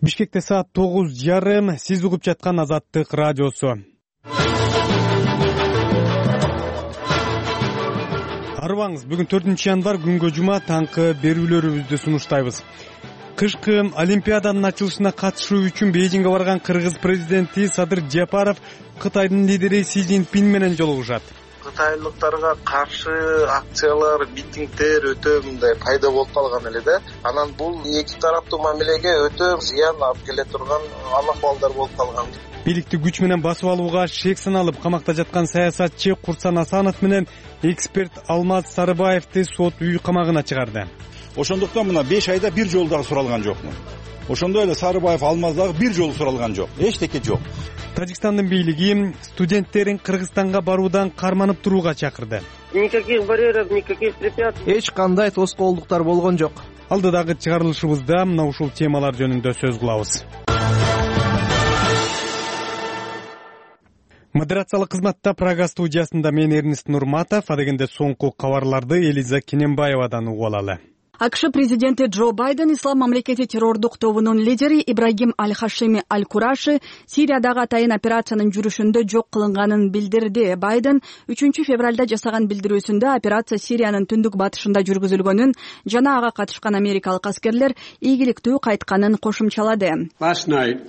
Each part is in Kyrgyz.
Бишкекте саат 9:30. Сиз угуп жаткан Азаттык радиосу. Арыбаңыз, бүгүн 4 январь күнгө жума таңкы берүүлөрүбүздү сунуштайбыз. Кышкы Олимпиаданын ачылышына катышуу үчүн Бейжиңге барган Кыргыз президенти Садыр Жапаров Кытайдын лидери Си Цзиньпин менен жолугушат. Кытайлыктарга каршы акциялар, митингдер өтө мындай пайда болуп калган эле да. Анан бул эки тараптуу мамилеге өтө зыян алып келе турган ахуалдар болуп калган. Бийликти күч менен басып алууга шек саналып камакта жаткан саясатчы Курсан Асанов менен эксперт Алмаз Сарыбаевди сот үй камагына чыгарды. Ошондуктан мына 5 айда бир жолу дагы суралган жокмун. Ошондой эле Сарыбаев, Алмаз дагы бир жолу суралган жок. Эчтеке жок. Тажикстандын бийлиги студенттерин Кыргызстанга баруудан карманып турууга чакырды. Никаких барьеров, никаких препятствий. Эч кандай тоскоолдуктар болгон жок. Алдыдагы чыгарылышыбызда мына ушул темалар жөнүндө сөз кылабыз. Модерациялык кызматта Прага студиясында мен Эрнест Нурматов, адегенде соңку кабарларды Элиза Кененбаевадан угуп алалы. АКШ президенти Джо Байден Ислам мамлекети террордук тобунун лидери Ибрагим Аль-Хашими Аль-Кураши Сириядагы атайын операциянын жүрүшүндө жок кылынганын билдирди. Байден 3 февралда жасаган билдирүүсүндө операция Сириянын түндүк батышында жүргүзүлгөнүн жана ага катышкан америкалык аскерлер ийгиликтүү кайтканын кошумчалады. Last night,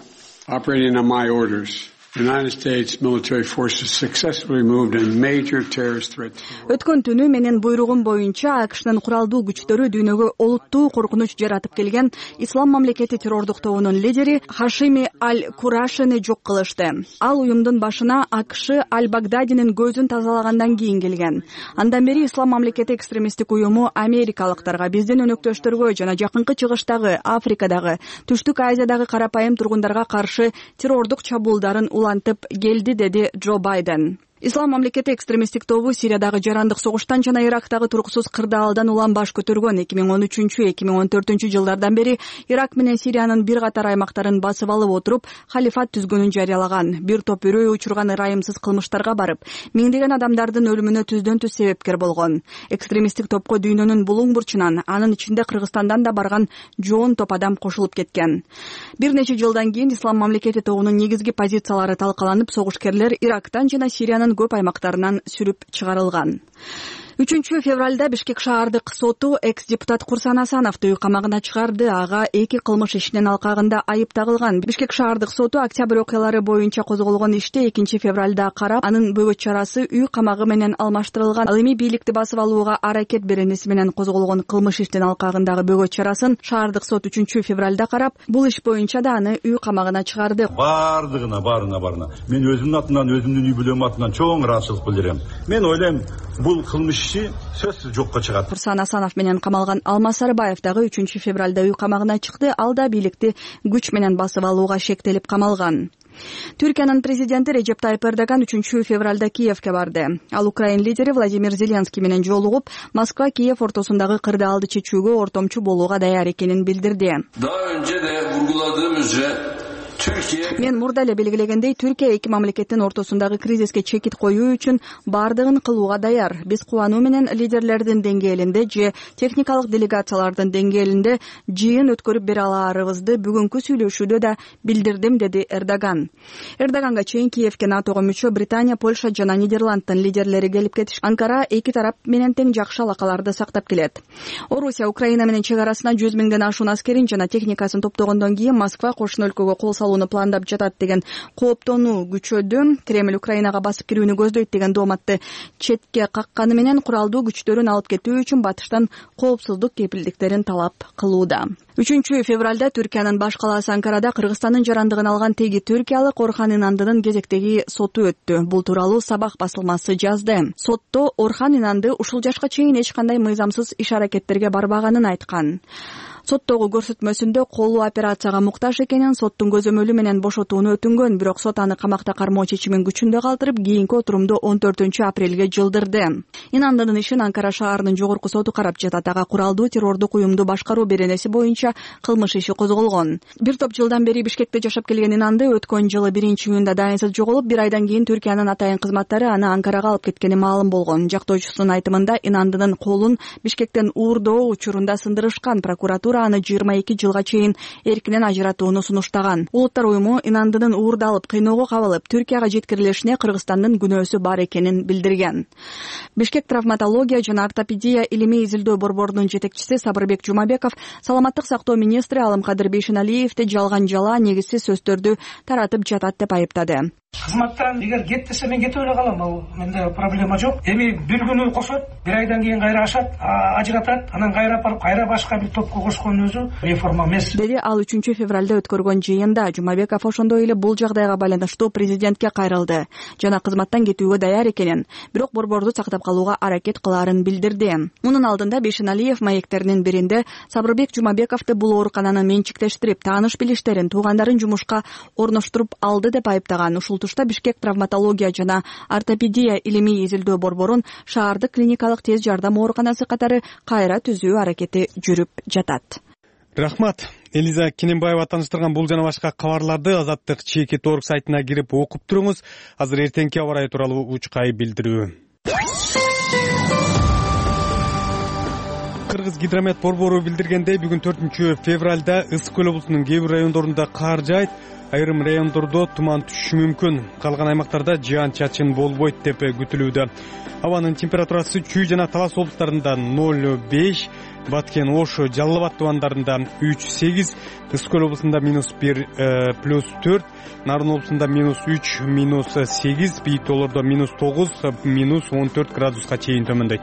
operating on my orders, the United States military forces successfully moved a major terrorist threat. Өткөн түнү менин буйругум боюнча АКШнын куралдуу күчтөрү дүйнөгө олуттуу коркунуч жаратып келген Ислам мамлекети террордук тобунун лидери Хашими Аль-Курашини жок кылышты. Ал уюмдун башына АКШ Аль-Багдадинин көзүн тазалагандан кийин келген. Андан бери Ислам мамлекети экстремисттик уюму америкалыктарга, биздин өнөктөштөргө жана жакынкы чыгыштагы, Африкадагы, Түштүк Азиядагы карапайым тургундарга каршы террордук чабуулдарын улантып келди, деди Джо Байден. Ислам мамлекети экстремисттик тобу Сириядагы жарандык согуштан жана Ирактагы туруксуз кырдаалдан улам баш көтөргөн. 2013-2014 жылдардан бери Ирак менен Сириянын бир катар аймактарын басып алып отуруп, халифат түзгөнүн жарыялаган. Бир топ үрөй учурган ырайымсыз кылмыштарга барып, миңдеген адамдардын өлүмүнө түздөн түз себепкер болгон. Экстремисттик топко дүйнөнүн булуң бурчунан, анын ичинде Кыргызстандан да барган жоон топ адам кошулуп кеткен. Бир нече жылдан кийин Ислам мамлекети тобунун негизги позициялары талкаланып, согушкерлер Ирактан жана Сириянын көп аймактарынан сүрүп чыгарылган. 3 февралда Бишкек шаардык соту экс-депутат Курсан Асановду үй камагына чыгарды. Ага 2 кылмыш ишинин алкагында айып тагылган. Бишкек шаардык соту октябрь окуялары боюнча козголгон ишти 2 февралда карап, анын бөгөт чарасы үй камагы менен алмаштырылган. Ал эми бийликти басып алууга аракет беренеси менен козголгон кылмыш иштин алкагындагы бөгөт чарасын шаардык сот 3 февралда карап, бул иш боюнча да аны үй камагына чыгарды. Баарына. Мен өзүмдүн атымдан, өзүмдүн үй бүлөм атынан чоң ыраазычылык билдирем. Мен ойлойм, бул кылмыш сөзсүз жокко чыгат. Курсан Асанов менен камалган Алмаз Сарыбаев дагы 3 февралда үй камагына чыкты. Ал да бийликти күч менен басып алууга шектелип камалган. Түркиянын президенти Режеп Тайып Эрдоган 3 февралда Киевке барды. Ал Украин лидери Владимир Зеленский менен жолугуп, Москва-Киев ортосундагы кырдаалды чечүүгө ортомчу болууга даяр экенин билдирди. Мен мурда эле белгилегендей, Түркия эки мамлекеттин ортосундагы кризиске чекит коюу үчүн бардыгын кылууга даяр. Биз кубануу менен лидерлердин деңгээлинде же техникалык делегациялардын деңгээлинде жыйын өткөрүп бере алаарыбызды бүгүнкү сүйлөшүүдө да билдирдим, деди Эрдоган. Эрдоганга чейин Киевке НАТОго мүчө Британия, Польша жана Нидерланддын лидерлери келип кетиш. Анкара эки тарап менен тең жакшы алакаларды сактап келет. Орусия Украина менен чек арасына 100 миңден ашуун аскерин жана техникасын топтогондон кийин Москва кошуна өлкөгө кол салууну пландап жатат деген кооптонуу күчөдү. Кремль Украинага басып кирүүнү көздөйт деген дооматты четке какканы менен куралдуу күчтөрүн алып кетүү үчүн батыштан коопсуздук кепилдиктерин талап кылууда. 3 февралда Түркиянын баш калаасы Анкарада Кыргызстандын жарандыгын алган теги түркиялык Орхан Инандынын кезектеги соту өттү. Бул тууралуу Сабах басылмасы жазды. Сотто Орхан Инанды ушул жашка чейин эч кандай мыйзамсыз иш-аракеттерге барбаганын айткан. Соттогу көрсөтмөсүндө колу операцияга муктаж экенин, соттун көзөмөлү менен бошотууну өтүнгөн, бирок сот аны камакта кармоо чечимин күчүндө калтырып, кийинки отурумду 14 апрелге жылдырды. Инандынын ишин Анкара шаарынын жогорку соту карап жатат. Ага куралдуу террордук уюмду башкаруу беренеси боюнча кылмыш иши козголгон. Бир топ жылдан бери Бишкекте жашап келген Инанды өткөн жылы 1-июнда дайынсыз жоголуп, бир айдан кийин Түркиянын атайын кызматтары аны Анкарага алып кеткени маалым болгон. Жактоочусунун айтымында Инандынын колун Бишкектен уурдоо учурунда сындырышкан. Прокуратура прокуратура аны 22 жылга чейин эркинен ажыратууну сунуштаган. Улуттар уюму инандынын уурдалып, кыйноого кабылып, Түркияга жеткирилишине Кыргызстандын күнөөсү бар экенин билдирген. Бишкек травматология жана ортопедия илимий изилдөө борборунун жетекчиси Сабырбек Жумабеков саламаттык сактоо министри Алымкадыр Бейшеналиевди жалган жала, негизсиз сөздөрдү таратып жатат деп айыптады. Кызматтан эгер кет десе мен кетип эле калам, ал менде проблема жок. Эми бир күнү кошот, бир айдан кийин кайра ашат, ажыратат, анан кайра апарып кайра башка бир топко кошкон өзү реформа эмес. Деди ал 3 февралда өткөргөн жыйында. Жумабеков ошондой эле бул жагдайга байланыштуу президентке кайрылды жана кызматтан кетүүгө даяр экенин, бирок борборду сактап калууга аракет кылаарын билдирди. Мунун алдында Бейшеналиев маектеринин биринде Сабырбек Жумабековду бул оорукананы менчиктештирип, тааныш билиштерин, туугандарын жумушка орноштуруп алды деп айыптаган. Ушул тушта Бишкек травматология жана ортопедия илимий изилдөө борборун шаардык клиникалык тез жардам ооруканасы катары кайра түзүү аракети жүрүп жатат. Рахмат. Элиза Кененбаева тааныштырган бул жана башка кабарларды Азаттык ЧК.org сайтына кирип окуп туруңуз. Азыр эртеңки аба ырайы тууралуу учкай билдирүү. Кыргыз гидромет борбору билдиргендей, бүгүн 4 февралда Ысык көл облусунун кээ бир райондорунда кар жаайт, айрым райондордо туман түшүшү мүмкүн. Калган аймактарда жаан-чачын болбойт деп күтүлүүдө. Абанын температурасы Чүй жана Талас облустарында 0,5, Баткен, Ош, Жалал Абад тубандарында 3,8, Ысык көл облусунда -1, +4, Нарын облусунда -3, -8, бийик тоолордо -9, -14 градуска чейин төмөндөйт.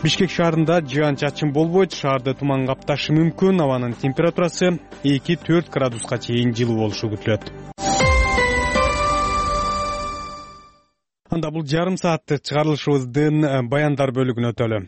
Бишкек шаарында жаан-чачын болбойт, шаарды туман капташы мүмкүн. Абанын температурасы 2-4 градуска чейин жылуу болушу күтүлөт. Анда бул жарым сааттык чыгарылышыбыздын баяндар бөлүгүнө өтөлү.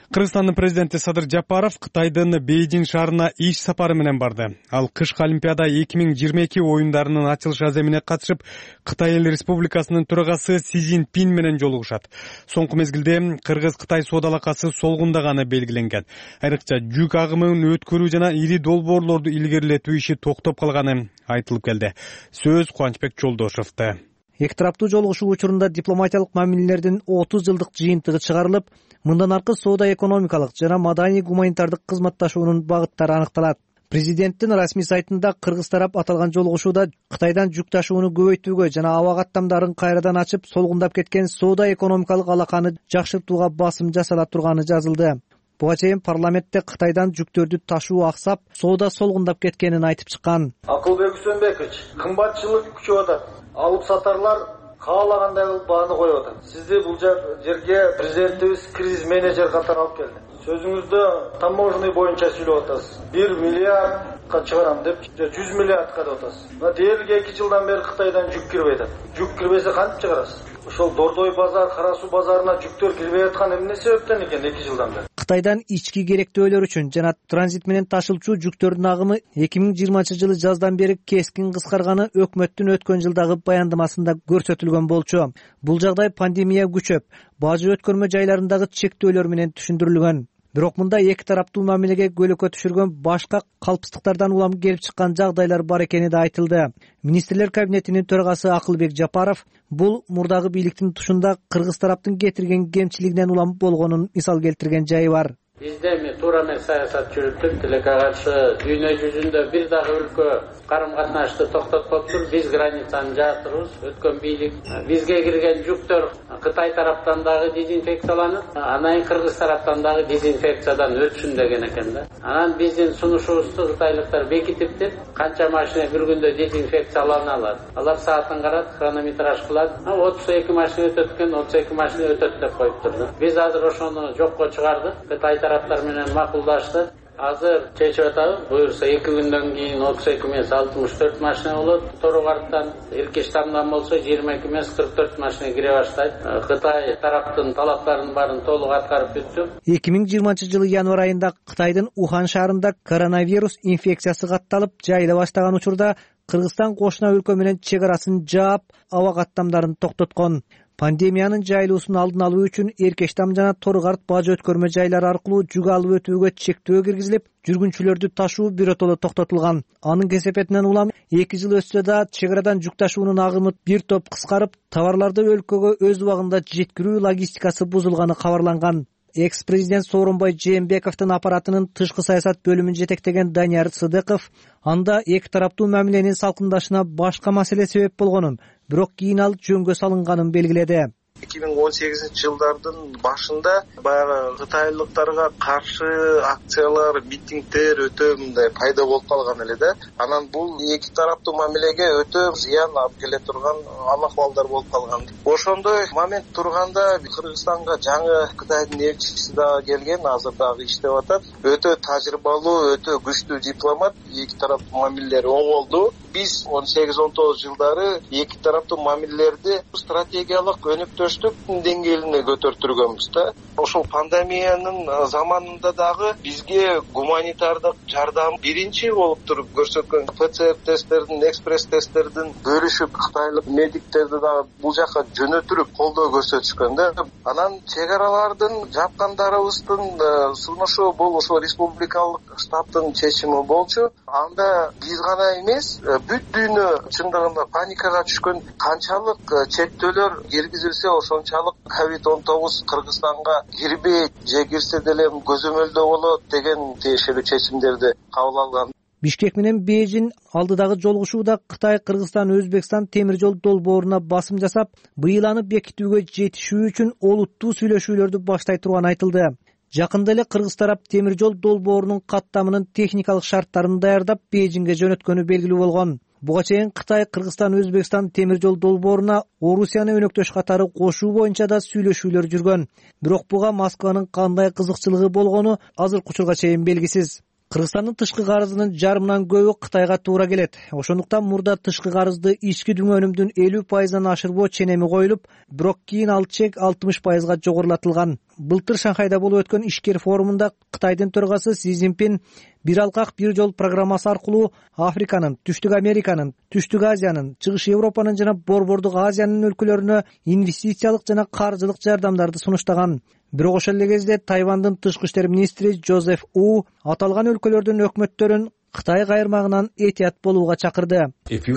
Кыргызстандын президенти Садыр Жапаров Кытайдын Бейжиң шаарына иш сапары менен барды. Ал кышкы Олимпиада 2022 оюндарынын ачылыш аземине катышып, Кытай Эл Республикасынын төрагасы Си Цзиньпин менен жолугушат. Соңку мезгилде Кыргыз-Кытай соода алакасы солгундаганы белгиленген. Айрыкча жүк агымын өткөрүү жана ири долбоорлорду илгерилетүү иши токтоп калганы айтылып келди. Сөз Кубанычбек Жолдошевде. Эки тараптуу жолугушуу учурунда дипломатиялык мамилелердин 30 жылдык жыйынтыгы чыгарылып, мындан аркы соода экономикалык жана маданий гуманитардык кызматташуунун багыттары аныкталат. Президенттин расмий сайтында Кыргыз тарап аталган жолугушууда Кытайдан жүк ташууну көбөйтүүгө жана аба каттамдарын кайрадан ачып, солгундап кеткен соода экономикалык алаканы жакшыртууга басым жасала турганы жазылды. Буга чейин парламентте Кытайдан жүктөрдү ташуу аксап, соода солгундап кеткенин айтып чыккан. Акылбек Үсөнбекович, кымбатчылык күчөп атат. Алып сатарлар каалагандай бааны коюп атат. Сизди бул жерге президентибиз кризис менеджер катары алып келди. Сөзүңүздө таможный боюнча сүйлөп атасыз. 1 миллиардка чыгарам деп, 100 миллиардка деп атасыз. Дээрлик 2 жылдан бери Кытайдан жүк кирбей атат. Жүк кирбесе кантип чыгарасыз? Ошол Дордой базар, Кара суу базарына жүктөр кирбей аткан эмне себептен экен 2 жылдан бери? Кытайдан ички керектөөлөр үчүн жана транзит менен ташылчу жүктөрдүн агымы 2020-жылы жаздан бери кескин кыскарганы өкмөттүн өткөн жылдагы баяндамасында көрсөтүлгөн болчу. Бул жагдай пандемия күчөп, бажы өткөрмө жайларындагы чектөөлөр менен түшүндүрүлгөн. Бирок мында эки тараптуу мамилеге көйгөй түшүргөн башка калпсыздыктардан улам келип чыккан жагдайлар бар экени да айтылды. Министрлер кабинетинин төрагасы Акылбек Жапаров бул мурдагы бийликтин тушунда Кыргыз тараптын кетирген кемчилигинен улам болгонун мисал келтирген жайы бар. Бизде туура эмес саясат жүрүптүр. Тилекке каршы дүйнө жүзүндө бир дагы өлкө карым-катнашты токтоткоптур. Биз границаны жаатырбыз. Өткөн бийлик бизге кирген жүктөр Кытай тараптан дагы дезинфекцияланып, анан Кыргыз тараптан дагы дезинфекциядан өтсүн деген экен да. Анан биздин сунушубузду кытайлыктар бекитиптир. Канча машина бир күндө дезинфекциялана алат. Алар саатын карат, хронометраж кылат. 32 машина өтөт экен, 32 машина өтөт деп коюптур да. Биз азыр ошону жокко чыгардык. Кытай тараптар менен макулдашты. Азыр чечип атабыз. Буюрса 2 күндөн кийин 32 эмес 64 машина болот. Торугарттан, Иркиштамдан болсо 22 эмес 44 машина кире баштайт. Кытай тараптын талаптарынын баарын толук аткарып бүттүк. 2020-жылы январь айында Кытайдын Ухан шаарында коронавирус инфекциясы катталып жайыла баштаган учурда Кыргызстан кошуна өлкө менен чек арасын жаап, аба каттамдарын токтоткон. Пандемиянын жайылуусун алдын алуу үчүн Эркештам жана Торугарт бажы өткөрмө жайлары аркылуу жүк алып өтүүгө чектөө киргизилип, жүргүнчүлөрдү ташуу биротоло токтотулган. Анын кесепетинен улам 2 жыл өтсө да чек арадан жүк ташуунун агымы бир топ кыскарып, товарларды өлкөгө өз убагында жеткирүү логистикасы бузулганы кабарланган. экс президент Сооронбай Жээнбековдун аппаратынын тышкы саясат бөлүмүн жетектеген Данияр Сыдыков анда эки тараптуу мамиленин салкындашына башка маселе себеп болгонун, бирок кийин ал жөнгө салынганын белгиледи. 2018-жылдардын башында баягы кытайлыктарга каршы акциялар, митингдер өтө мындай пайда болуп калган эле да. Анан бул эки тараптуу мамилеге өтө зыян алып келе турган ахвалдар болуп калган. Ошондой момент турганда Кыргызстанга жаңы Кытайдын элчиси дагы келген, азыр дагы иштеп атат. Өтө тажрыйбалуу, өтө күчтүү дипломат. Эки тараптуу мамилелер оңолду. Биз 18-19 жылдары эки тараптуу мамилелерди стратегиялык өнүктүштүк деңгээлине көтөртүргөнбүз да. Ошол пандемиянын заманында дагы бизге гуманитардык жардам биринчи болуп туруп көрсөткөн ПЦР тесттердин, экспресс тесттердин бөлүшүп кытайлык медиктерди дагы бул жака жөнөтүрүп колдоо көрсөтүшкөн да. Анан чек аралардын жапкандарыбыздын сунушу бул ошол республикалык штабтын чечими болчу. Анда биз гана эмес, бүт дүйнө чындыгында паникага түшкөн. Канчалык чектөөлөр киргизилсе ошончалык COVID-19 Кыргызстанга кирбейт, же кирсе деле көзөмөлдө болот деген тиешелүү чечимдерди кабыл алган. Бишкек менен Бейжин алдыдагы жолугушууда Кытай, Кыргызстан, Өзбекстан темир жол долбооруна басым жасап, быйыл аны бекитүүгө жетишүү үчүн олуттуу сүйлөшүүлөрдү баштай турганы айтылды. Жакында эле кыргыз тарап темир жол долбоорунун каттамынын техникалык шарттарын даярдап Бейжинге жөнөткөнү белгилүү болгон. Буга чейин Кытай, Кыргызстан, Өзбекстан темир жол долбооруна Орусияны өнөктөш катары кошуу боюнча да сүйлөшүүлөр жүргөн. Бирок буга Москванын кандай кызыкчылыгы болгону азыркы учурга чейин белгисиз. Кыргызстандын тышкы карызынын жарымынан көбү Кытайга туура келет. Ошондуктан мурда тышкы карызды ички дүң өнүмдүн 50%-дан ашырбоо ченеми коюлуп, бирок кийин ал чек 60%га жогорулатылган. Былтыр Шанхайда болуп өткөн ишкер форумунда Кытайдын төрагасы Си Цзиньпин бир алкак бир жол программасы аркылуу Африканын, Түштүк Американын, Түштүк Азиянын, Чыгыш Европанын жана Борбордук Азиянын өлкөлөрүнө инвестициялык жана каржылык жардамдарды сунуштаган. Бирок ошол эле кезде Тайвандын тышкы иштер министри Жозеф У аталган өлкөлөрдүн өкмөттөрүн Кытай кайрмагынан этият болууга чакырды. Эгер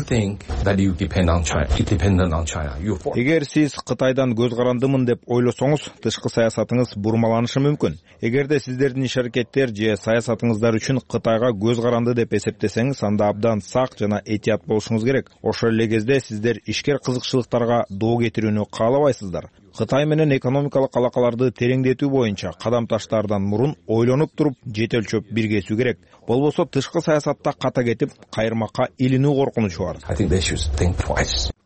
сиз Кытайдан көз карандымын деп ойлосоңуз, тышкы саясатыңыз бурмаланышы мүмкүн. Эгерде сиздердин иш-аракеттер же саясатыңыздар үчүн Кытайга көз каранды деп эсептесеңиз, анда абдан сак жана этият болушуңуз керек. Ошол эле кезде сиздер ишкер кызыкчылыктарга доо кетирүүнү каалабайсыздар. Кытай менен экономикалык алакаларды тереңдетүү боюнча кадам таштаардан мурун ойлонуп туруп, жете өлчөп биргесүү керек. Болбосо тышкы саясатта ката кетип, кайрмакка илинүү коркунучу бар.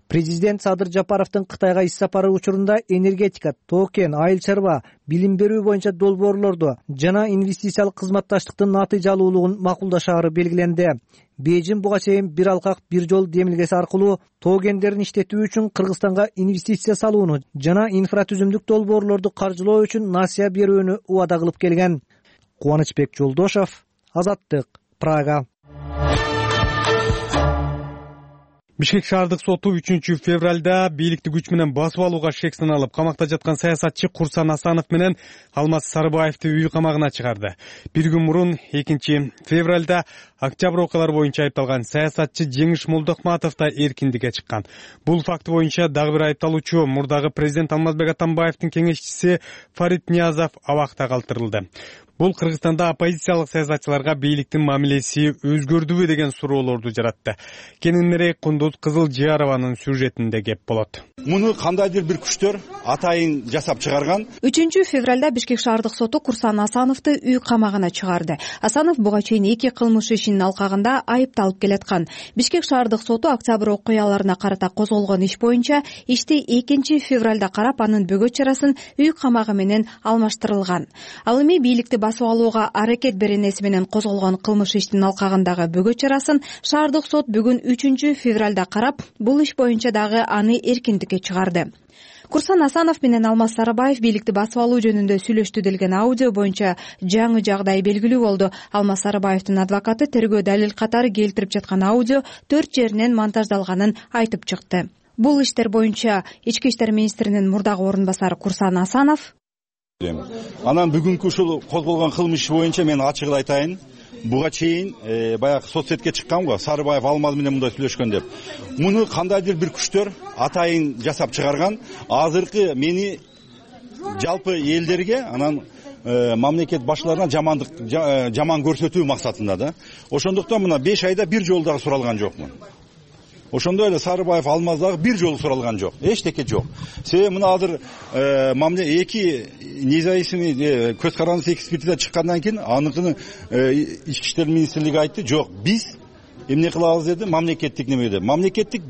Президент Садыр Жапаровдун Кытайга иш сапары учурунда энергетика, токен, айыл чарба, билим берүү боюнча долбоорлорду жана инвестициялык кызматташтыктын натыйжалуулугун макулдашаары белгиленди. Бейжин буга чейин бир алкак бир жол демилгеси аркылуу тогендерин иштетүү үчүн Кыргызстанга инвестиция салууну жана инфратүзүмдүк долбоорлорду каржылоо үчүн насыя берүүнү убада кылып келген. Кубанычбек Жолдошов, Азаттык, Прага. Бишкек шаардык соту 3-февралда бийликти күч менен басып алууга шек саналып, камакта жаткан саясатчы Курсан Асанов менен Алмаз Сарыбаевди үй камагына чыгарды. Бир күн мурун 2-февралда октябрь окуялары боюнча айыпталган саясатчы Жеңиш Молдохматов да эркиндикке чыккан. Бул факт боюнча дагы бир айыпталуучу мурдагы президент Алмазбек Атамбаевдин кеңешчиси Фарид Ниязов абакта калтырылды. Бул Кыргызстанда оппозициялык саясатчыларга бийликтин мамилеси өзгөрдүбү деген суроолорду жаратты. Кененирээк Кундуз Кызылжарованын сюжетинде кеп болот. Муну кандайдыр бир күчтөр атайын жасап чыгарган. 3-февралда Бишкек шаардык соту Курсан Асановду үй камагына чыгарды. Асанов буга чейин 2 кылмыш ишинин алкагында айыпталып келаткан. Бишкек шаардык соту октябрь окуяларына карата козголгон иш боюнча ишти 2-февралда карап, анын бөгөт чарасын үй камагы менен алмаштырылган. Ал эми бийликти басып алууга аракет беренеси менен козголгон кылмыш иштин алкагындагы бөгөт чарасын шаардык сот бүгүн 3-февралда карап, бул иш боюнча дагы аны эркиндикке чыгарды. Курсан Асанов менен Алмаз Сарыбаев бийликти басып алуу жөнүндө сүйлөштү делген аудио боюнча жаңы жагдай белгилүү болду. Алмаз Сарыбаевдин адвокаты тергөө далил катары келтирип жаткан аудио 4 жеринен монтаждалганын айтып чыкты. Бул иштер боюнча Ички иштер министринин мурдагы орун басары Курсан Асанов анан бүгүнкү ушул козголгон кылмыш боюнча мен ачыгын айтайын. Буга чейин баягы соцсетке чыккан го, Сарыбаев Алмаз менен мындай сүйлөшкөн деп. Муну кандайдыр бир күчтөр атайын жасап чыгарган. Азыркы мени жалпы элдерге, анан мамлекет башчыларына жаман көрсөтүү максатында да. Ошондуктан мына 5 айда бир жолу дагы суралган жокмун. Ошондой эле Сарыбаев, Алмаз дагы бир жолу суралган жок. Эчтеке жок. Себеби мына азыр эки независимый көз карандысыз экспертиза чыккандан кийин аныкын ички иштер министрлиги айтты, жок, биз эмне кылабыз деди, мамлекеттик неме деп. Мамлекеттик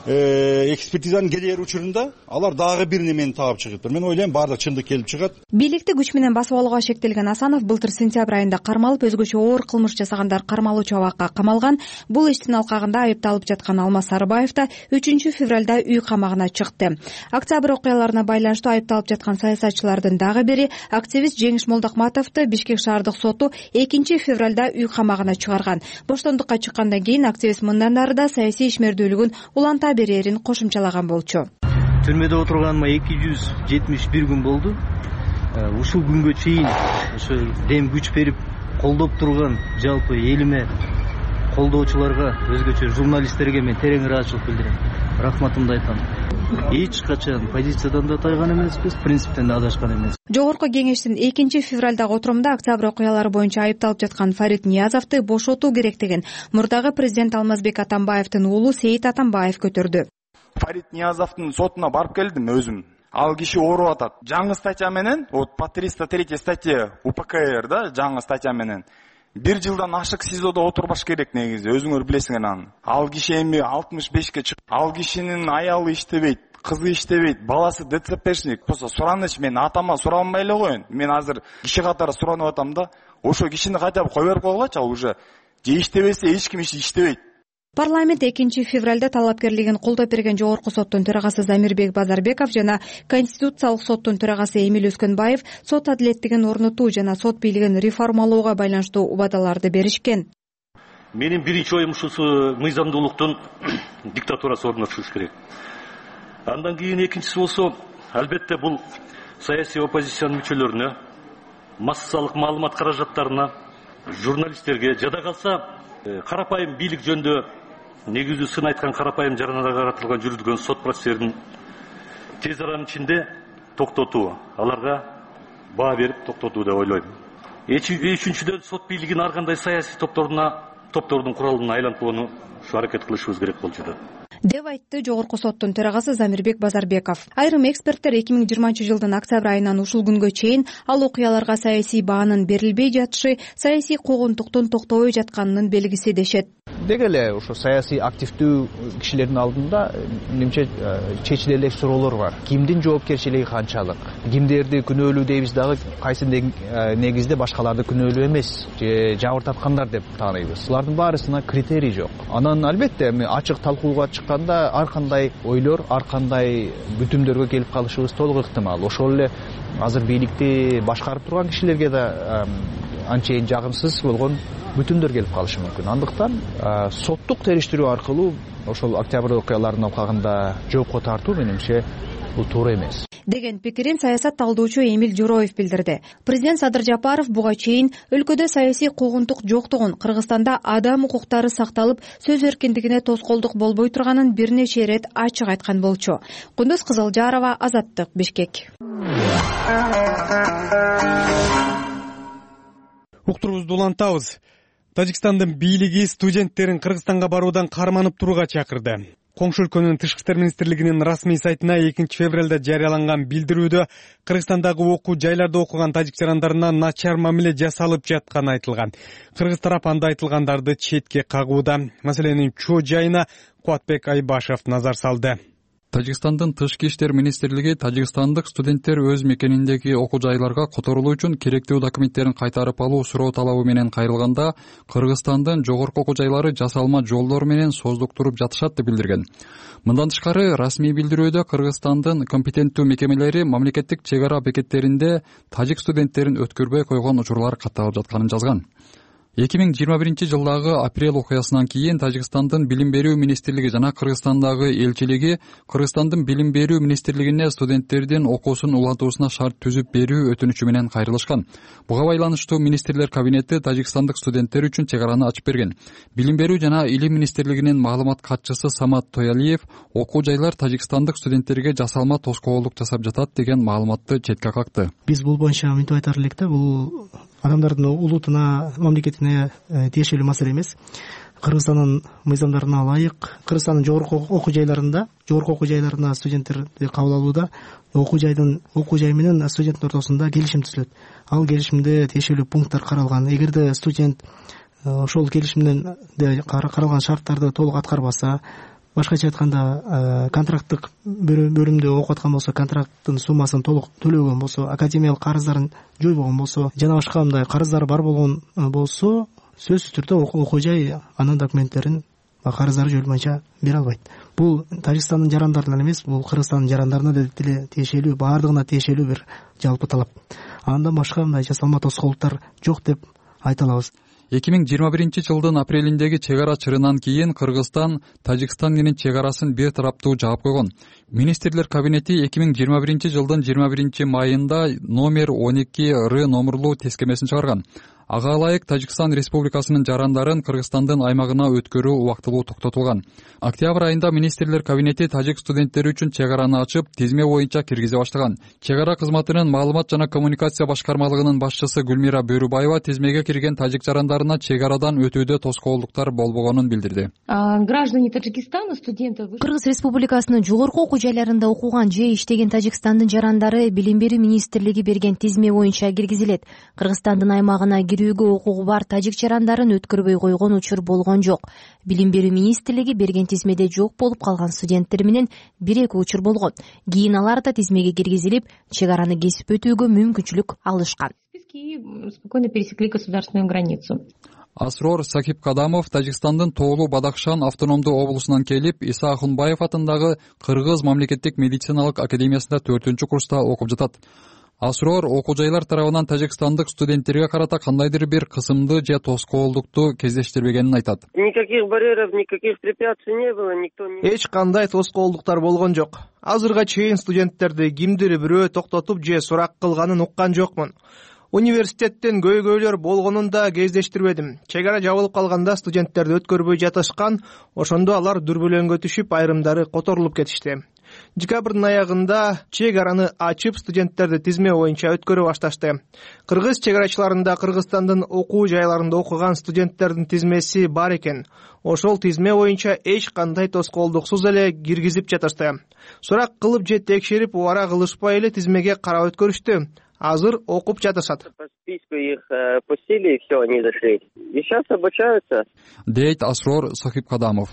экспертизанын келер учурунда алар дагы бир немени таап чыгыптыр. Мен ойлойм баардык чындык келип чыгат. Бийликти күч менен басып алууга шектелген Асанов былтыр сентябрь айында кармалып, өзгөчө оор кылмыш жасагандар кармалуучу абакка камалган. Бул иштин алкагында айыпталып жаткан Алмаз Сарыбаев да 3 февралда үй камагына чыкты. Октябрь окуяларына байланыштуу айыпталып жаткан саясатчылардын дагы бири активист Жеңиш Молдокматовду Бишкек шаардык соту 2 февралда үй камагына чыгарган. Боштондукка чыккандан кийин активист мындан ары да саясий ишмердүүлүгүн уланта берерин кошумчалаган болчу. Түрмөдө отурганыма 271 күн болду. Ушул күнгө чейин ошо дем күч берип колдоп турган жалпы элиме, колдоочуларга, өзгөчө журналисттерге мен терең ыраазычылык билдирем. Рахматымды айтам. Эч качан позициядан да тайган эмеспиз, принциптен да адашкан эмеспиз. Жогорку кеңештин 2 февралдагы отурумда октябрь окуялары боюнча айыпталып жаткан Фарид Ниязовду бошотуу керектигин мурдагы президент Алмазбек Атамбаевдин уулу Сейит Атамбаев көтөрдү. Фарид Ниязовдун сотуна барып келдим өзүм. Ал киши ооруп атат. Жаңы статья менен, по 303 статья УПКР да, жаңы статья менен 1 жылдан ашык СИЗОдо отурбаш керек негизи, өзүңөр билесиңер аны. Ал киши эми 65ке чык. Ал кишинин аялы иштебейт, кызы иштебейт, баласы ДЦПшник болсо сураныч мен атама суралбай эле коеюн. Мен азыр киши катары суранып атам да, ошо кишини кайтап кое берип койгулачы, ал уже же иштебесе эч ким иштебейт. Парламент 2 февралда талапкерлигин колдоп берген Жогорку соттун төрагасы Замирбек Базарбеков жана Конституциялык соттун төрагасы Эмил Өскөнбаев сот адилеттигин орнотуу жана сот бийлигин реформалоого байланыштуу убадаларды беришкен. Менин биринчи оюм ушусу мыйзамдуулуктун диктатурасы орнотулуш керек. Андан кийин экинчиси болсо, албетте бул саясий оппозициянын мүчөлөрүнө, массалык маалымат каражаттарына, журналисттерге, жада калса карапайым бийлик жөнүндө негизүү сын айткан карапайым жарандарга каратылган жүргүзүлгөн сот процесстерин тез аранын ичинде токтотуу, аларга баа берип токтотуу деп ойлойм. Үчүнчүдөн сот бийлигин ар кандай саясий топтордун куралына айлантууну аракет кылышыбыз керек болуп жатат деп айтты Жогорку соттун төрагасы Замирбек Базарбеков. Айрым эксперттер 2020-жылдын октябрь айынан ушул күнгө чейин ал окуяларга саясий баанын берилбей жатышы саясий куугунтуктун токтобой жатканынын белгиси дешет. Деги эле ошо саясий активдүү кишилердин алдында немче чечиле элек суроолор бар. Кимдин жоопкерчилиги канчалык? Кимдерди күнөөлүү дейбиз дагы кайсы негизде башкаларды күнөөлүү эмес же жабыр тапкандар деп тааныйбыз. Булардын баарысына критерий жок. Анан албетте ачык талкууга чыкканда ар кандай ойлор, ар кандай бүтүмдөргө келип калышыбыз толук ыктымал. Ошол эле азыр бийликти башкарып турган кишилерге да анчейин жагымсыз болгон бүтүмдөр келип калышы мүмкүн. Андыктан соттук териштирүү аркылуу ошол октябрь окуяларынын алкагында жоопко тартуу менимче бул туура эмес деген пикирин саясат талдоочу Эмил Журоев билдирди. Президент Садыр Жапаров буга чейин өлкөдө саясий куугунтук жоктугун, Кыргызстанда адам укуктары сакталып, сөз эркиндигине тоскоолдук болбой турганын бир нече ирет ачык айткан болчу. Кундуз Кызылжарова, Азаттык, Бишкек. Уктурубузду улантабыз. Тажикстандын бийлиги студенттерин Кыргызстанга баруудан карманып турууга чакырды. Коңшу өлкөнүн Тышкы иштер министрлигинин расмий сайтына 2 февралда жарыяланган билдирүүдө Кыргызстандагы окуу жайларда окуган тажик жарандарына начар мамиле жасалып жатканы айтылган. Кыргыз тарап анда айтылгандарды четке кагууда. Маселенин чоо жайына Кубатбек Айбашев назар салды. Тажикстандын Тышкы иштер министрлиги тажикстандык студенттер өз мекениндеги окуу жайларга которулуу үчүн керектүү документтерин кайтарып алуу суроо талабы менен кайрылганда Кыргызстандын жогорку окуу жайлары жасалма жолдор менен создуктуруп жатышат деп билдирген. Мындан тышкары расмий билдирүүдө Кыргызстандын компетенттүү мекемелери мамлекеттик чек ара бекеттеринде тажик студенттерин өткөрбөй койгон учурлар катталып жатканын жазган. 2021-жылдагы апрель окуясынан кийин Тажикстандын билим берүү министрлиги жана Кыргызстандагы элчилиги Кыргызстандын билим берүү министрлигине студенттердин окуусун улантуусуна шарт түзүп берүү өтүнүчү менен кайрылышкан. Буга байланыштуу министрлер кабинети тажикстандык студенттер үчүн чек араны ачып берген. Билим берүү жана илим министрлигинин маалымат катчысы Самат Тоялиев окуу жайлар тажикстандык студенттерге жасалма тоскоолдук жасап жатат деген маалыматты четке какты. Биз бул боюнча мынтип айтар элек да, бул адамдардын улутуна, мамлекетине тиешелүү маселе эмес. Кыргызстандын мыйзамдарына ылайык, Кыргызстандын жогорку окуу жайларына студенттерди кабыл алууда окуу жай менен студенттин ортосунда келишим түзүлөт. Ал келишимде тиешелүү пункттар каралган. Эгерде студент ошол келишимден каралган шарттарды толук аткарбаса, башкача айтканда контракттык бөлүмдө окуп аткан болсо, контракттын суммасын толук төлөгөн болсо, академиялык карыздарын жойбогон болсо жана башка мындай карыздары бар болгон болсо, сөзсүз түрдө окуу жай анын документтерин карыздары жоюлмайынча бере албайт. Бул Тажикстандын жарандарына эмес, бул Кыргызстандын жарандарына деле тиешелүү, баардыгына тиешелүү бир жалпы талап. Андан башка мындай жасалма тоскоолдуктар жок деп айта алабыз. 2021-жылдын апрелиндеги чек ара чырынан кийин Кыргызстан Тажикстан менен чек арасын бир тараптуу жаап койгон. Министрлер кабинети 2021-жылдын 21-майында номер 12 номерлуу тескемесин чыгарган. Ага ылайык Тажикстан Республикасынын жарандарын Кыргызстандын аймагына өткөрүү убактылуу токтотулган. Октябрь айында министрлер кабинети тажик студенттери үчүн чек араны ачып, тизме боюнча киргизе баштаган. Чек ара кызматынын маалымат жана коммуникация башкармалыгынын башчысы Гүлмира Бөрүбаева тизмеге кирген тажик жарандарына чек арадан өтүүдө тоскоолдуктар болбогонун билдирди. Граждане Таджикистана, студенты Кыргыз Республикасынын жогорку окуу жайларында окуган же иштеген Тажикстандын жарандары билим берүү министрлиги берген тизме боюнча киргизилет. Кыргызстандын аймагына кирүүгө укугу бар тажик жарандарын өткөрбөй койгон учур болгон жок. Билим берүү министрлиги берген тизмеде жок болуп калган студенттер менен 1-2 учур болгон. Кийин алар да тизмеге киргизилип, чек араны кесип өтүүгө мүмкүнчүлүк алышкан. Спокойно пересекли государственную границу. Асрор Сахибкадамов Тажикстандын Тоолу Бадахшан автономдуу облусунан келип, Иса Ахунбаев атындагы Кыргыз мамлекеттик медициналык академиясында 4-курста окуп жатат. Асрор окуу жайлар тарабынан тажикстандык студенттерге карата кандайдыр бир кысымды же тоскоолдукту кездештирбегенин айтат. Никаких барьеров, никаких препятствий не было, никто не... Эч кандай тоскоолдуктар болгон жок. Азырга чейин студенттерди кимдир бирөө токтотуп же сурак кылганын уккан жокмун. Университеттен көйгөйлөр болгонун да кездештирбедим. Чек ара жабылып калганда студенттерди өткөрбөй жатышкан, ошондо алар дүрбөлөңгө түшүп, айрымдары которулуп кетишти. Декабрдын аягында чек араны ачып, студенттерди тизме боюнча өткөрө башташты. Кыргыз чек арачыларында Кыргызстандын окуу жайларында окуган студенттердин тизмеси бар экен. Ошол тизме боюнча эч кандай тоскоолдуксуз эле киргизип жатышты. Сурак кылып же текшерип убара кылышпай эле тизмеге карап өткөрүштү. Азыр окуп жатышат. По списку их пустили, и все, они зашли. И сейчас обучаются. Дейт Асрор Сахибкадамов.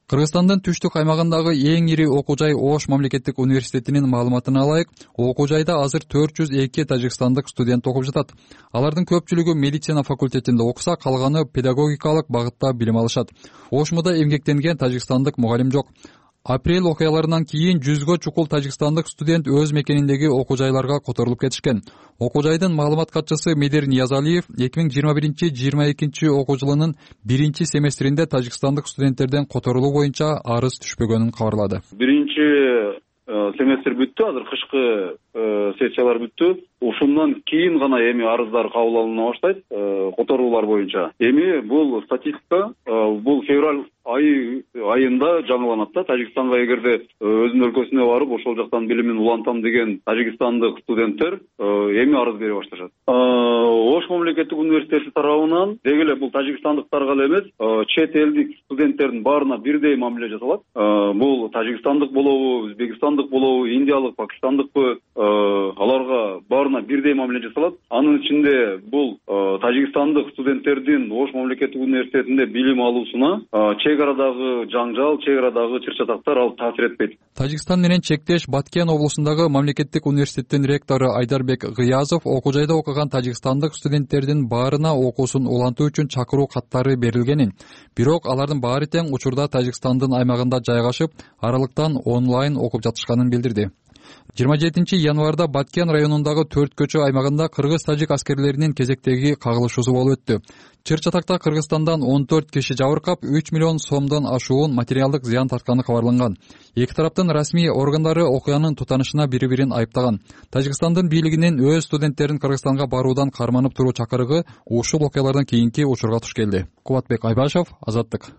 Кыргызстандын түштүк аймагындагы эң ири окуу жай Ош мамлекеттик университетинин маалыматына ылайык, окуу жайда азыр 402 тажикстандык студент окуп жатат. Алардын көпчүлүгү медицина факультетинде окуса, калганы педагогикалык багытта билим алышат. Ошмуда эмгектенген тажикстандык мугалим жок. Апрель окуяларынан кийин 100гө чукул тажикстандык студент өз мекениндеги окуу жайларга которулуп кетишкен. Окуу жайдын маалымат катчысы Медер Ниязалиев 2021-22 окуу жылынын 1-семестринде тажикстандык студенттерден которулуу боюнча арыз түшпөгөнүн кабарлады. Биринчи семестр бүттү, азыр кышкы сессиялар бүттү. Ушундан кийин гана эми арыздар кабыл алына баштайт, которуулар боюнча. Эми бул статистика бул февраль айында жаңыланат да. Тажикстанга эгерде өзүнүн өлкөсүнө барып, ошол жактан билимин улантам деген тажикстандык студенттер эми арыз бере башташат. Ош мамлекеттик университети тарабынан деги эле бул тажикстандыктарга эле эмес, чет элдик студенттердин баарына бирдей мамиле жасалат. Бул тажикстандык болобу, өзбекстандык болобу, индиялык, пакистандыкпы, аларга баарына бирдей мамиле жасалат. Анын ичинде бул тажикстандык студенттердин Ош мамлекеттик университетинде билим алуусуна чек арадагы жаңжал, чек арадагы чыр-чатактар ал таасир этпейт. Тажикстан менен чектеш Баткен облусундагы мамлекеттик университеттин ректору Айдарбек Гыязов окуу жайда окуган тажикстандык студенттердин баарына окуусун улантуу үчүн чакыруу каттары берилгенин, бирок алардын баары тең учурда Тажикстандын аймагында жайгашып, аралыктан онлайн окуп жатышканын билдирди. 27 январда Баткен районундагы 4 көчө аймагында кыргыз-тажик аскерлеринин кезектеги кагылышуусу болуп өттү. Чыр-чатакта Кыргызстандан 14 киши жабыркап, 3 миллион сомдон ашуун материалдык зыян тартканы кабарланган. Эки тараптын расмий органдары окуянын тутанышына бири-бирин айыптаган. Тажикстандын бийлигинин өз студенттерин Кыргызстанга баруудан карманып туруу чакырыгы ушул окуялардан кийинки учурга туш келди. Кубатбек Айбашев, Азаттык.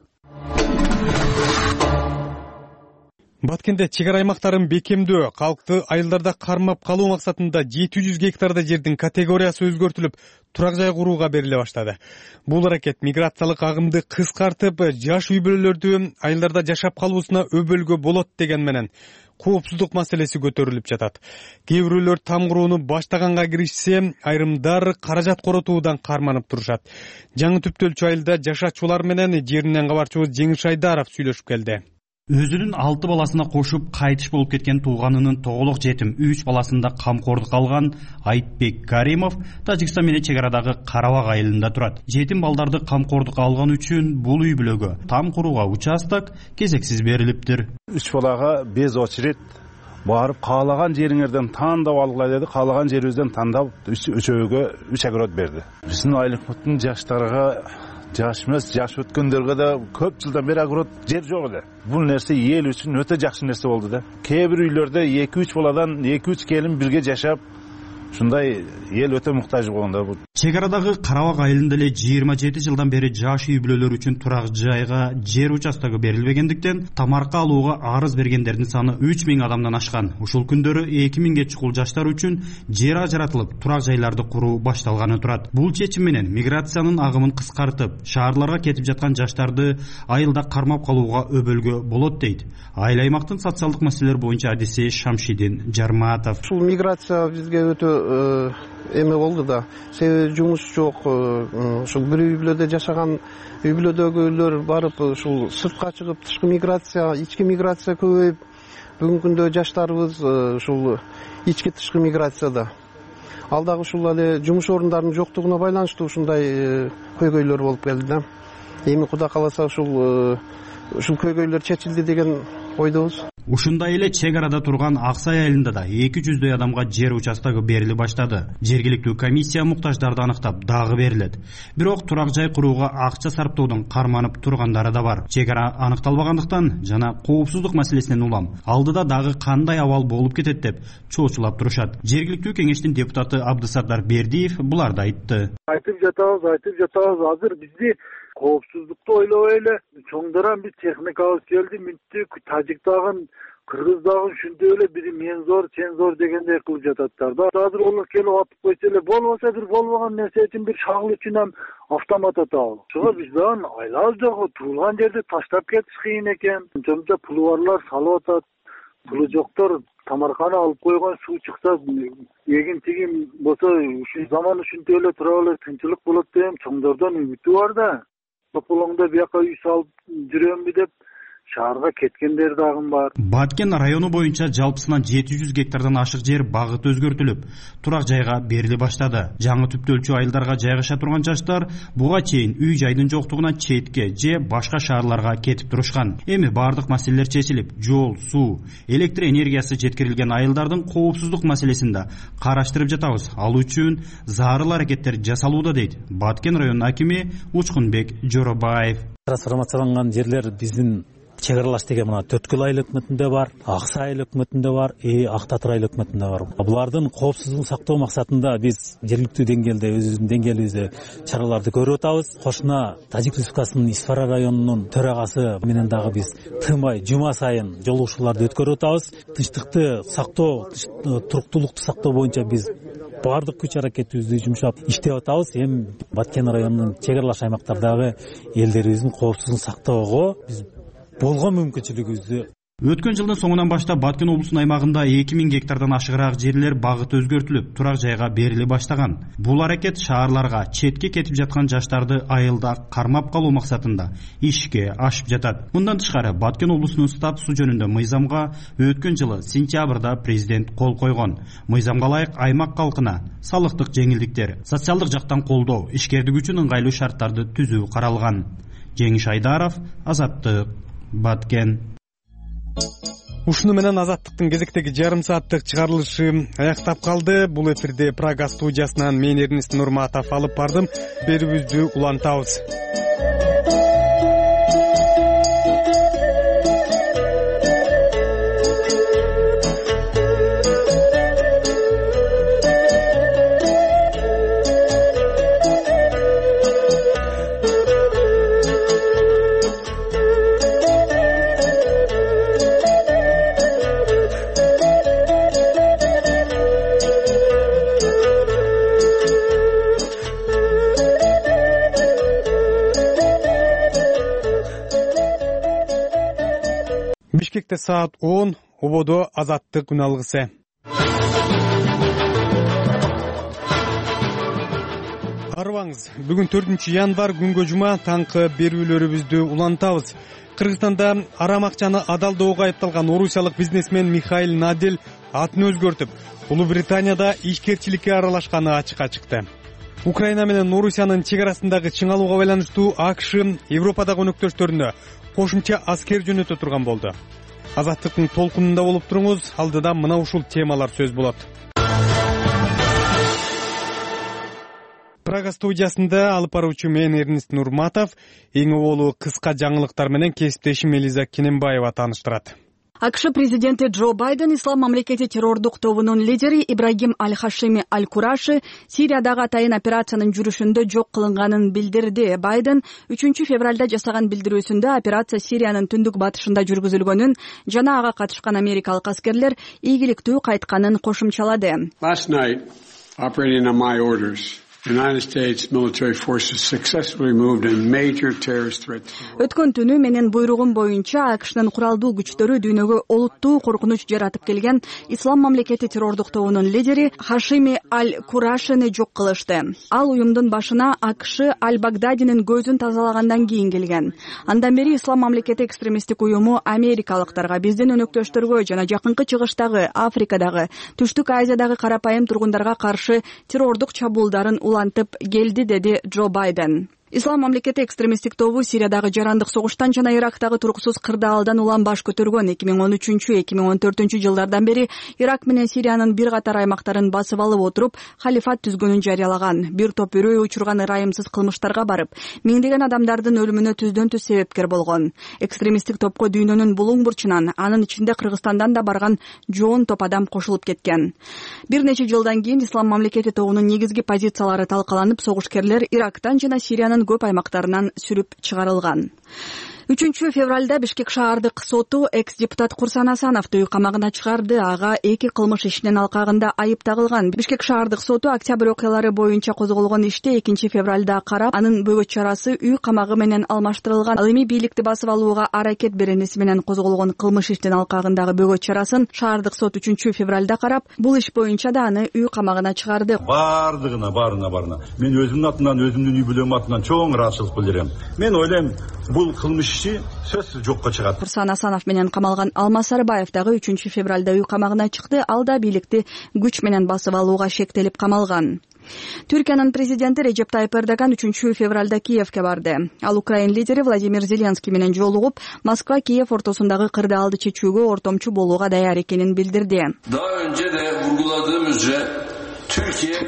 Баткенде чек ара аймактарын бекемдөө, калкты айылдарда кармап калуу максатында 700 гектарда жердин категориясы өзгөртүлүп, турак жай курууга бериле баштады. Бул аракет миграциялык агымды кыскартып, жаш үй бүлөлөрдү айылдарда жашап калуусуна өбөлгө болот деген менен коопсуздук маселеси көтөрүлүп жатат. Кээ бирөөлөр там курууну баштаганга киришсе, айрымдар каражат коротуудан карманып турушат. Жаңы Түптөлчү айылда жашачулар менен жеринен кабарчыбыз Жеңиш Айдаров сүйлөшүп келди. Өзүнүн 6 баласына кошуп кайтыш болуп кеткен тууганынын тоголок жетим 3 баласында камкордук алган Айтбек Каримов Тажикстан менен чек арадагы Карабак айылында турат. Жетим балдарды камкордук алган үчүн бул үй бүлөгө там курууга участок кезексиз берилиптир. 3 балага без очередь барып каалаган жериңерден тандап алгыла деди. Каалаган жерибизден тандап үчөөгө 3 огород берди. Биздин айлыктын жаштарга жаш эмес, жаш өткөндөргө да көп жылдан бери огород жер жок эле. Бул нерсе эл үчүн өтө жакшы нерсе болду да. Кээ бир үйлөрдө 2-3 баладан 2-3 келин бирге жашап, ушундай эл өтө муктаж болгон да бул. Чек арадагы Карабак айылында эле 27 жылдан бери жаш үй бүлөлөр үчүн турак жайга жер участогу берилбегендиктен тамарка алууга арыз бергендердин саны 3000 адамдан ашкан. Ушул күндөрү 2000ге чукул жаштар үчүн жер ажыратылып, турак жайларды куруу башталганы турат. Бул чечим менен миграциянын агымын кыскартып, шаарларга кетип жаткан жаштарды айылда кармап калууга өбөлгө болот дейт айыл аймактын социалдык маселелер боюнча адиси Шамшидин Жарматов. Ушул миграция бизге өтө эме болду да. Себеби жумуш жок. Ушул бир үй бүлөдө жашаган үй бүлөдөгүлөр барып ушул сыртка чыгып, тышкы миграция, ички миграция көбөйүп, бүгүнкү күндө жаштарыбыз ушул ички тышкы миграцияда. Ал дагы ушул эле жумуш орундарынын жоктугуна байланыштуу ушундай көйгөйлөр болуп келди да. Эми Кудай кааласа ушул көйгөйлөр чечилди деген ойдобуз. Ушундай эле чек арада турган Аксай айылында да 200 адамга жер участогу бериле баштады. Жергиликтүү комиссия муктаждарды аныктап дагы берилет. Бирок турак жай курууга акча сарптоодон карманып тургандары да бар. Чек ара аныкталбагандыктан жана коопсуздук маселесинен улам алдыда дагы кандай абал болуп кетет деп чоочулап турушат. Жергиликтүү кеңештин депутаты Абдысаттар Бердиев буларды айтты. Айтып жатабыз, азыр бизди коопсуздукту ойлобой эле чоңдоран бир техникабыз келди, мүнттүк Тажиктагы, Кыргыздагы ушундай эле бири мен зор, сен зор дегендей кылып жататтар да. Азыр олар келип атып койсо эле болбосо бир болбогон нерсе үчүн бир шагыл үчүн ham автомат атабыз. Ошого биз дагы айлабыз жок, турган жерди таштап кетиш кыйын экен. Жомжа пулу барлар салып атат, пулу жоктор тамарканы алып койгон, суу чыкса эгин тигин болсо ушул заман ушундай эле тура эле тынчылык болот деп чоңдордон үмүтү бар да. Тополоңдо бияка үй салып жүрөмбү деп шаарга кеткендер дагы бар. Баткен району боюнча жалпысынан 700 гектардан ашык жер багыт өзгөртүлүп, турак жайга бериле баштады. Жаңы Түптөлчү айылдарга жайгаша турган жаштар буга чейин үй жайдын жоктугуна четке же башка шаарларга кетип турушкан. Эми бардык маселелер чечилип, жол, суу, электр энергиясы жеткирилген айылдардын коопсуздук маселесин да караштырып жатабыз. Ал үчүн зарыл аракеттер жасалууда дейт Баткен районунун акими Учкунбек Жоробаев. Трансформацияланган жерлер биздин чек аралаш деген мына Төрткөл айыл өкмөтүндө бар, Аксай айыл өкмөтүндө бар, Ак Татыр айыл өкмөтүндө бар. Булардын коопсуздугун сактоо максатында биз жергиликтүү деңгээлде өзүбүздүн деңгээлибизде чараларды көрүп атабыз. Кошуна Тажик Республикасынын Исфара районунун төрагасы менен дагы биз тынбай жума сайын жолугушууларды өткөрүп атабыз. Тынчтыкты сактоо, туруктуулукту сактоо боюнча биз бардык күч аракетибизди жумшап иштеп атабыз. Эми Баткен районунун чек аралаш аймактардагы элдерибиздин коопсуздугун сактоого биз болгон мүмкүнчүлүгүбүздү. Өткөн жылдын соңунан баштап Баткен облусунун аймагында 2000 гектардан ашыгыраак жерлер багыт өзгөртүлүп, турак жайга бериле баштаган. Бул аракет шаарларга четке кетип жаткан жаштарды айылда кармап калуу максатында ишке ашып жатат. Мындан тышкары Баткен облусунун статусу жөнүндө мыйзамга өткөн жылы сентябрда президент кол койгон. Мыйзамга ылайык аймак калкына салыктык жеңилдиктер, социалдык жактан колдоо, ишкердик үчүн ыңгайлуу шарттарды түзүү каралган. Жеңиш Айдаров, Азаттык, Баткен. ушуну менен Азаттыктын кезектеги жарым сааттык чыгарылышы аяктап калды. Бул эфирде Прага студиясынан мен Эрнест Нурматов алып бардым. Берүүбүздү улантабыз. Бишкекте саат 10, ободо Азаттык күн алгысы. Арыбаңыз, бүгүн 4-январ күнгө жума таңкы берүүлөрүбүздү улантабыз. Кыргызстанда арам акчаны адалдоого айыпталган орусиялык бизнесмен Михаил Надель атын өзгөртүп, Улуу Британияда ишкерчиликке аралашканы ачыкка чыкты. Украина менен Орусиянын чек арасындагы чыңалууга байланыштуу АКШ Европадагы өнөктөштөрүнө кошумча аскер жөнөтө турган болду. Азаттыктын толкунунда болуп туруңуз, алдыда мына ушул темалар сөз болот. Прага студиясында алып баруучу мен Эрнест Нурматов, эң оболу кыска жаңылыктар менен кесиптешим Элиза Кененбаева тааныштырат. АКШ президенти Джо Байден Ислам мамлекети террордук тобунун лидери Ибрагим Аль-Хашими Аль-Кураши Сириядагы атайын операциянын жүрүшүндө жок кылынганын билдирди. Байден 3 февралда жасаган билдирүүсүндө операция Сириянын түндүк батышында жүргүзүлгөнүн жана ага катышкан америкалык аскерлер ийгиликтүү кайтканын кошумчалады. Last night, operating on my orders, United States military forces successfully moved a major terrorist threat. Өткөн түнү менин буйругум боюнча АКШнын куралдуу күчтөрү дүйнөгө олуттуу коркунуч жаратып келген Ислам мамлекети террордук тобунун лидери Хашими Аль-Курашини жок кылышты. Ал уюмдун башына АКШ Аль-Багдадинин көзүн тазалагандан кийин келген. Андан бери Ислам мамлекети экстремисттик уюму америкалыктарга, биздин өнөктөштөргө жана жакынкы чыгыштагы, Африкадагы, Түштүк Азиядагы карапайым тургундарга каршы террордук чабуулдарын улантып келди, деди Джо Байден. Ислам мамлекети экстремисттик тобу Сириядагы жарандык согуштан жана Ирактагы туруксуз кырдаалдан улам баш көтөргөн. 2013-2014 жылдардан бери Ирак менен Сириянын бир катар аймактарын басып алып отуруп, халифат түзгөнүн жарыялаган. Бир топ үрөй учурган ырайымсыз кылмыштарга барып, миңдеген адамдардын өлүмүнө түздөн түз себепкер болгон. Экстремисттик топко дүйнөнүн булуң бурчунан, анын ичинде Кыргызстандан да барган жоон топ адам кошулуп кеткен. Бир нече жылдан кийин Ислам мамлекети тобунун негизги позициялары талкаланып, согушкерлер Ирактан жана Сириянын көп аймактарынан сүрүп чыгарылган. 3 февралда Бишкек шаардык соту экс-депутат Курсан Асановду үй камагына чыгарды. Ага 2 кылмыш ишинин алкагында айып тагылган. Бишкек шаардык соту октябрь окуялары боюнча козголгон иште 2 февралда карап, анын бөгөт чарасы үй камагы менен алмаштырылган. Ал эми бийликти басып алууга аракет беренеси менен козголгон кылмыш иштин алкагындагы бөгөт чарасын шаардык сот 3 февралда карап, бул иш боюнча да аны үй камагына чыгарды. Баарына. Мен өзүмдүн атымдан, өзүмдүн үй бүлөм атынан чоң ыраазычылык билдирем. Мен ойлойм, бул кылмыш сөзсүз жокко чыгат. Курсан Асанов менен камалган Алмаз Сарыбаев дагы 3 февралда үй камагына чыкты. Ал да бийликти күч менен басып алууга шектелип камалган. Түркиянын президенти Режеп Тайып Эрдоган 3 февралда Киевке барды. Ал Украин лидери Владимир Зеленский менен жолугуп, Москва-Киев ортосундагы кырдаалды чечүүгө ортомчу болууга даяр экенин билдирди.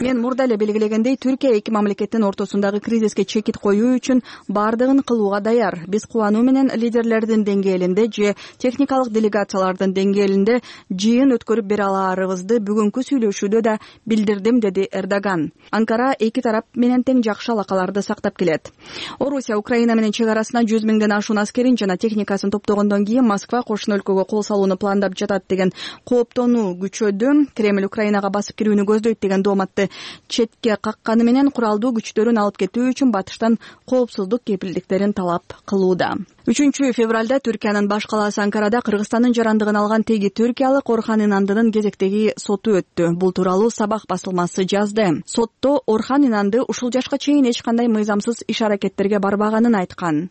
Мен мурда эле белгилегендей, Түркия эки мамлекеттин ортосундагы кризиске чекит коюу үчүн бардыгын кылууга даяр. Биз кубануу менен лидерлердин деңгээлинде же техникалык делегациялардын деңгээлинде жыйын өткөрүп бере алаарыбызды бүгүнкү сүйлөшүүдө да билдирдим, деди Эрдоган. Анкара эки тарап менен тең жакшы алакаларды сактап келет. Орусия Украина менен чек арасына 100 миңден ашуун аскерин жана техникасын топтогондон кийин Москва кошуна өлкөгө кол салууну пландап жатат деген кооптонуу күчөдү. Кремль Украинага басып кирүүнү көздөйт деген дооматты четке какканы менен куралдуу күчтөрүн алып кетүү үчүн батыштан коопсуздук кепилдиктерин талап кылууда. 3 февралда Түркиянын баш калаасы Анкарада Кыргызстандын жарандыгын алган теги түркиялык Орхан Инандынын кезектеги соту өттү. Бул тууралуу Сабах басылмасы жазды. Сотто Орхан Инанды ушул жашка чейин эч кандай мыйзамсыз иш-аракеттерге барбаганын айткан.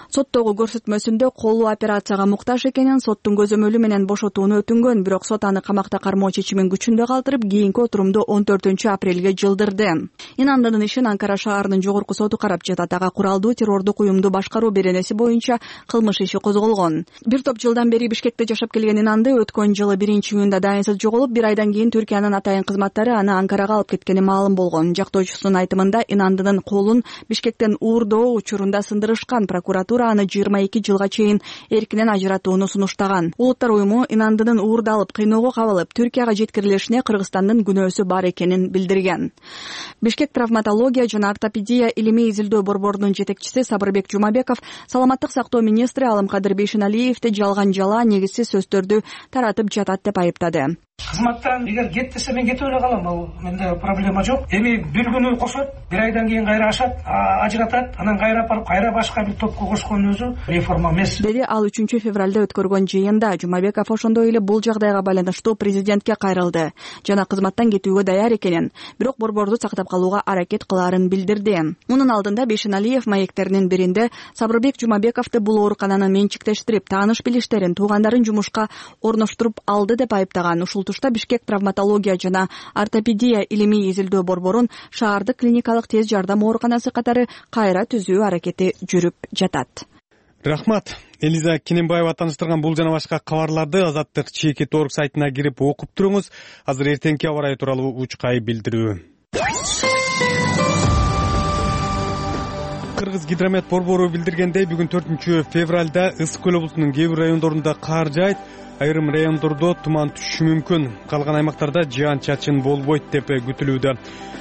Соттогу көрсөтмөсүндө колу операцияга муктаж экенин, соттун көзөмөлү менен бошотууну өтүнгөн, бирок сот аны камакта кармоо чечимин күчүндө калтырып, кийинки отурумду 14 апрелге жылдырды. Инандынын ишин Анкара шаарынын жогорку соту карап жатат. Ага куралдуу террордук уюмду башкаруу беренеси боюнча кылмыш иши козголгон. Бир топ жылдан бери Бишкекте жашап келген Инанды өткөн жылы 1-июнда дайынсыз жоголуп, бир айдан кийин Түркиянын атайын кызматтары аны Анкарага алып кеткени маалым болгон. Жактоочусунун айтымында Инандынын колун Бишкектен уурдоо учурунда сындырышкан. Прокуратура аны 22 жылга чейин эркинен ажыратууну сунуштаган. Улуттар уюму Инандынын уурдалып, кыйноого кабылып, Түркияга жеткирилишине Кыргызстандын күнөөсү бар экенин билдирген. Бишкек травматология жана ортопедия илимий изилдөө борборунун жетекчиси Сабырбек Жумабеков саламаттык сактоо министри Алымкадыр Бейшеналиевди жалган жала, негизсиз сөздөрдү таратып жатат деп айыптады. Кызматтан эгер кет десе мен кетип эле калам, ал менде проблема жок. Эми бир күнү кошот, бир айдан кийин кайра ашат, ажыратат, анан кайра апарып кайра башка бир топко кошкон өзү реформа эмес. Деди ал 3 февралда өткөргөн жыйында. Жумабеков ошондой эле бул жагдайга байланыштуу президентке кайрылды жана кызматтан кетүүгө даяр экенин, бирок борборду сактап калууга аракет кылаарын билдирди. Мунун алдында Бейшеналиев маектеринин биринде Сабырбек Жумабековду бул оорукананы менчиктештирип, тааныш билиштерин, туугандарын жумушка орноштуруп алды деп айыптаган. Ушул тушта Бишкек травматология жана ортопедия илимий изилдөө борборун шаардык клиникалык тез жардам ооруканасы катары кайра түзүү аракети жүрүп жатат. Рахмат. Элиза Кененбаева тааныштырган бул жана башка кабарларды Азаттык ЧК.org сайтына кирип окуп туруңуз. Азыр эртеңки аба ырайы тууралуу учкай билдирүү. Кыргыз гидромет борбору билдиргендей, бүгүн 4 февралда Ысык көл облусунун кээ бир райондорунда кар жаайт, айрым райондордо туман түшүшү мүмкүн. Калган аймактарда жаан-чачын болбойт деп күтүлүүдө.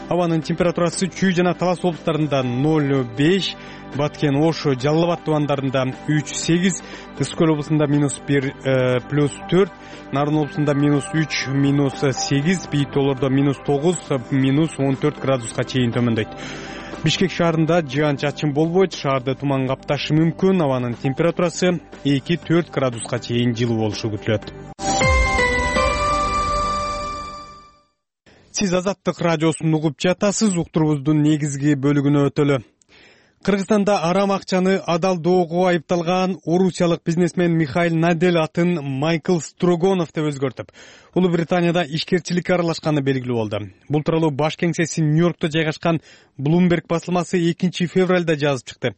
Абанын температурасы Чүй жана Талас облустарында 0,5, Баткен, Ош, Жалал Абад тубандарында 3,8, Ысык көл облусунда -1, +4, Нарын облусунда -3, -8, бийик тоолордо -9, -14 градуска чейин төмөндөйт. Бишкек шаарында жаан-чачын болбойт, шаарды туман капташы мүмкүн. Абанын температурасы 2-4 градуска чейин жылуу болушу күтүлөт. Сиз Азаттык радиосун угуп жатасыз. Уктурубуздун негизги бөлүгүнө өтөлү. Кыргызстанда арам акчаны адалдоого айыпталган орусиялык бизнесмен Михаил Надель атын Майкл Строгонов деп өзгөртүп, Улуу Британияда ишкерчиликке аралашканы белгилүү болду. Бул тууралуу баш кеңсеси Нью-Йоркто жайгашкан Bloomberg басылмасы 2 февралда жазып чыкты.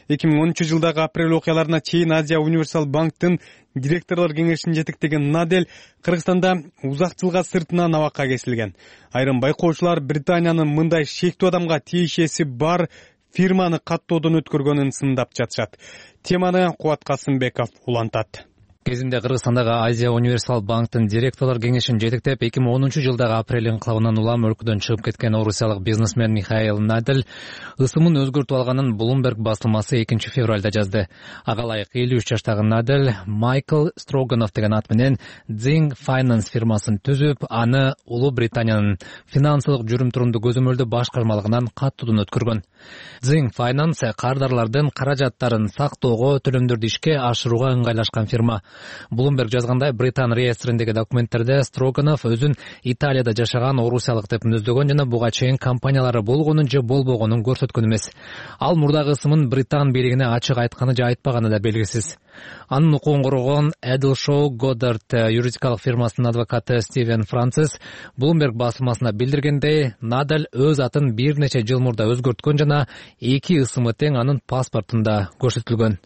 2013 жылдагы апрель окуяларына чейин Азия Универсал банктын директорлор кеңешин жетектеген Надель Кыргызстанда узак жылга сыртынан абакка кесилген. Айрым байкоочулар Британиянын мындай шектүү адамга тиешеси бар фирманы каттоодон өткөргөнүн сындап жатышат. Теманы Кубат Касымбеков улантат. Кезинде Кыргызстандагы Азия Универсал банктын директорлор кеңешин жетектеп 2010 жылдагы апрель инкылабынан улам өлкөдөн чыгып кеткен орусиялык бизнесмен Михаил Надель ысымын өзгөртүп алганын Bloomberg басылмасы 2 февралда жазды. Ага ылайык 53 жаштагы Надель Майкл Строганов деген ат менен Zing Finance фирмасын түзүп, аны Улуу Британиянын финансылык жүрүм-турумду көзөмөлдөө башкармалыгынан каттоодон өткөргөн. Zing Finance кардарлардын каражаттарын сактоого, төлөмдөрдү ишке ашырууга ыңгайлашкан фирма. Bloomberg жазгандай, Британ реестриндеги документтерде Строганов өзүн Италияда жашаган орусиялык деп мүнөздөгөн жана буга чейин компаниялары болгонун же болбогонун көрсөткөн эмес. Ал мурдагы ысымын Британ бийлигине ачык айтканы же айтпаганы да белгисиз. Анын укугун коргогон Edelshau Goddard юридикалык фирмасынын адвокаты Стивен Францис Bloomberg басылмасына билдиргендей, Надель өз атын бир нече жыл мурда өзгөрткөн жана 2 ысымы тең анын паспортунда көрсөтүлгөн.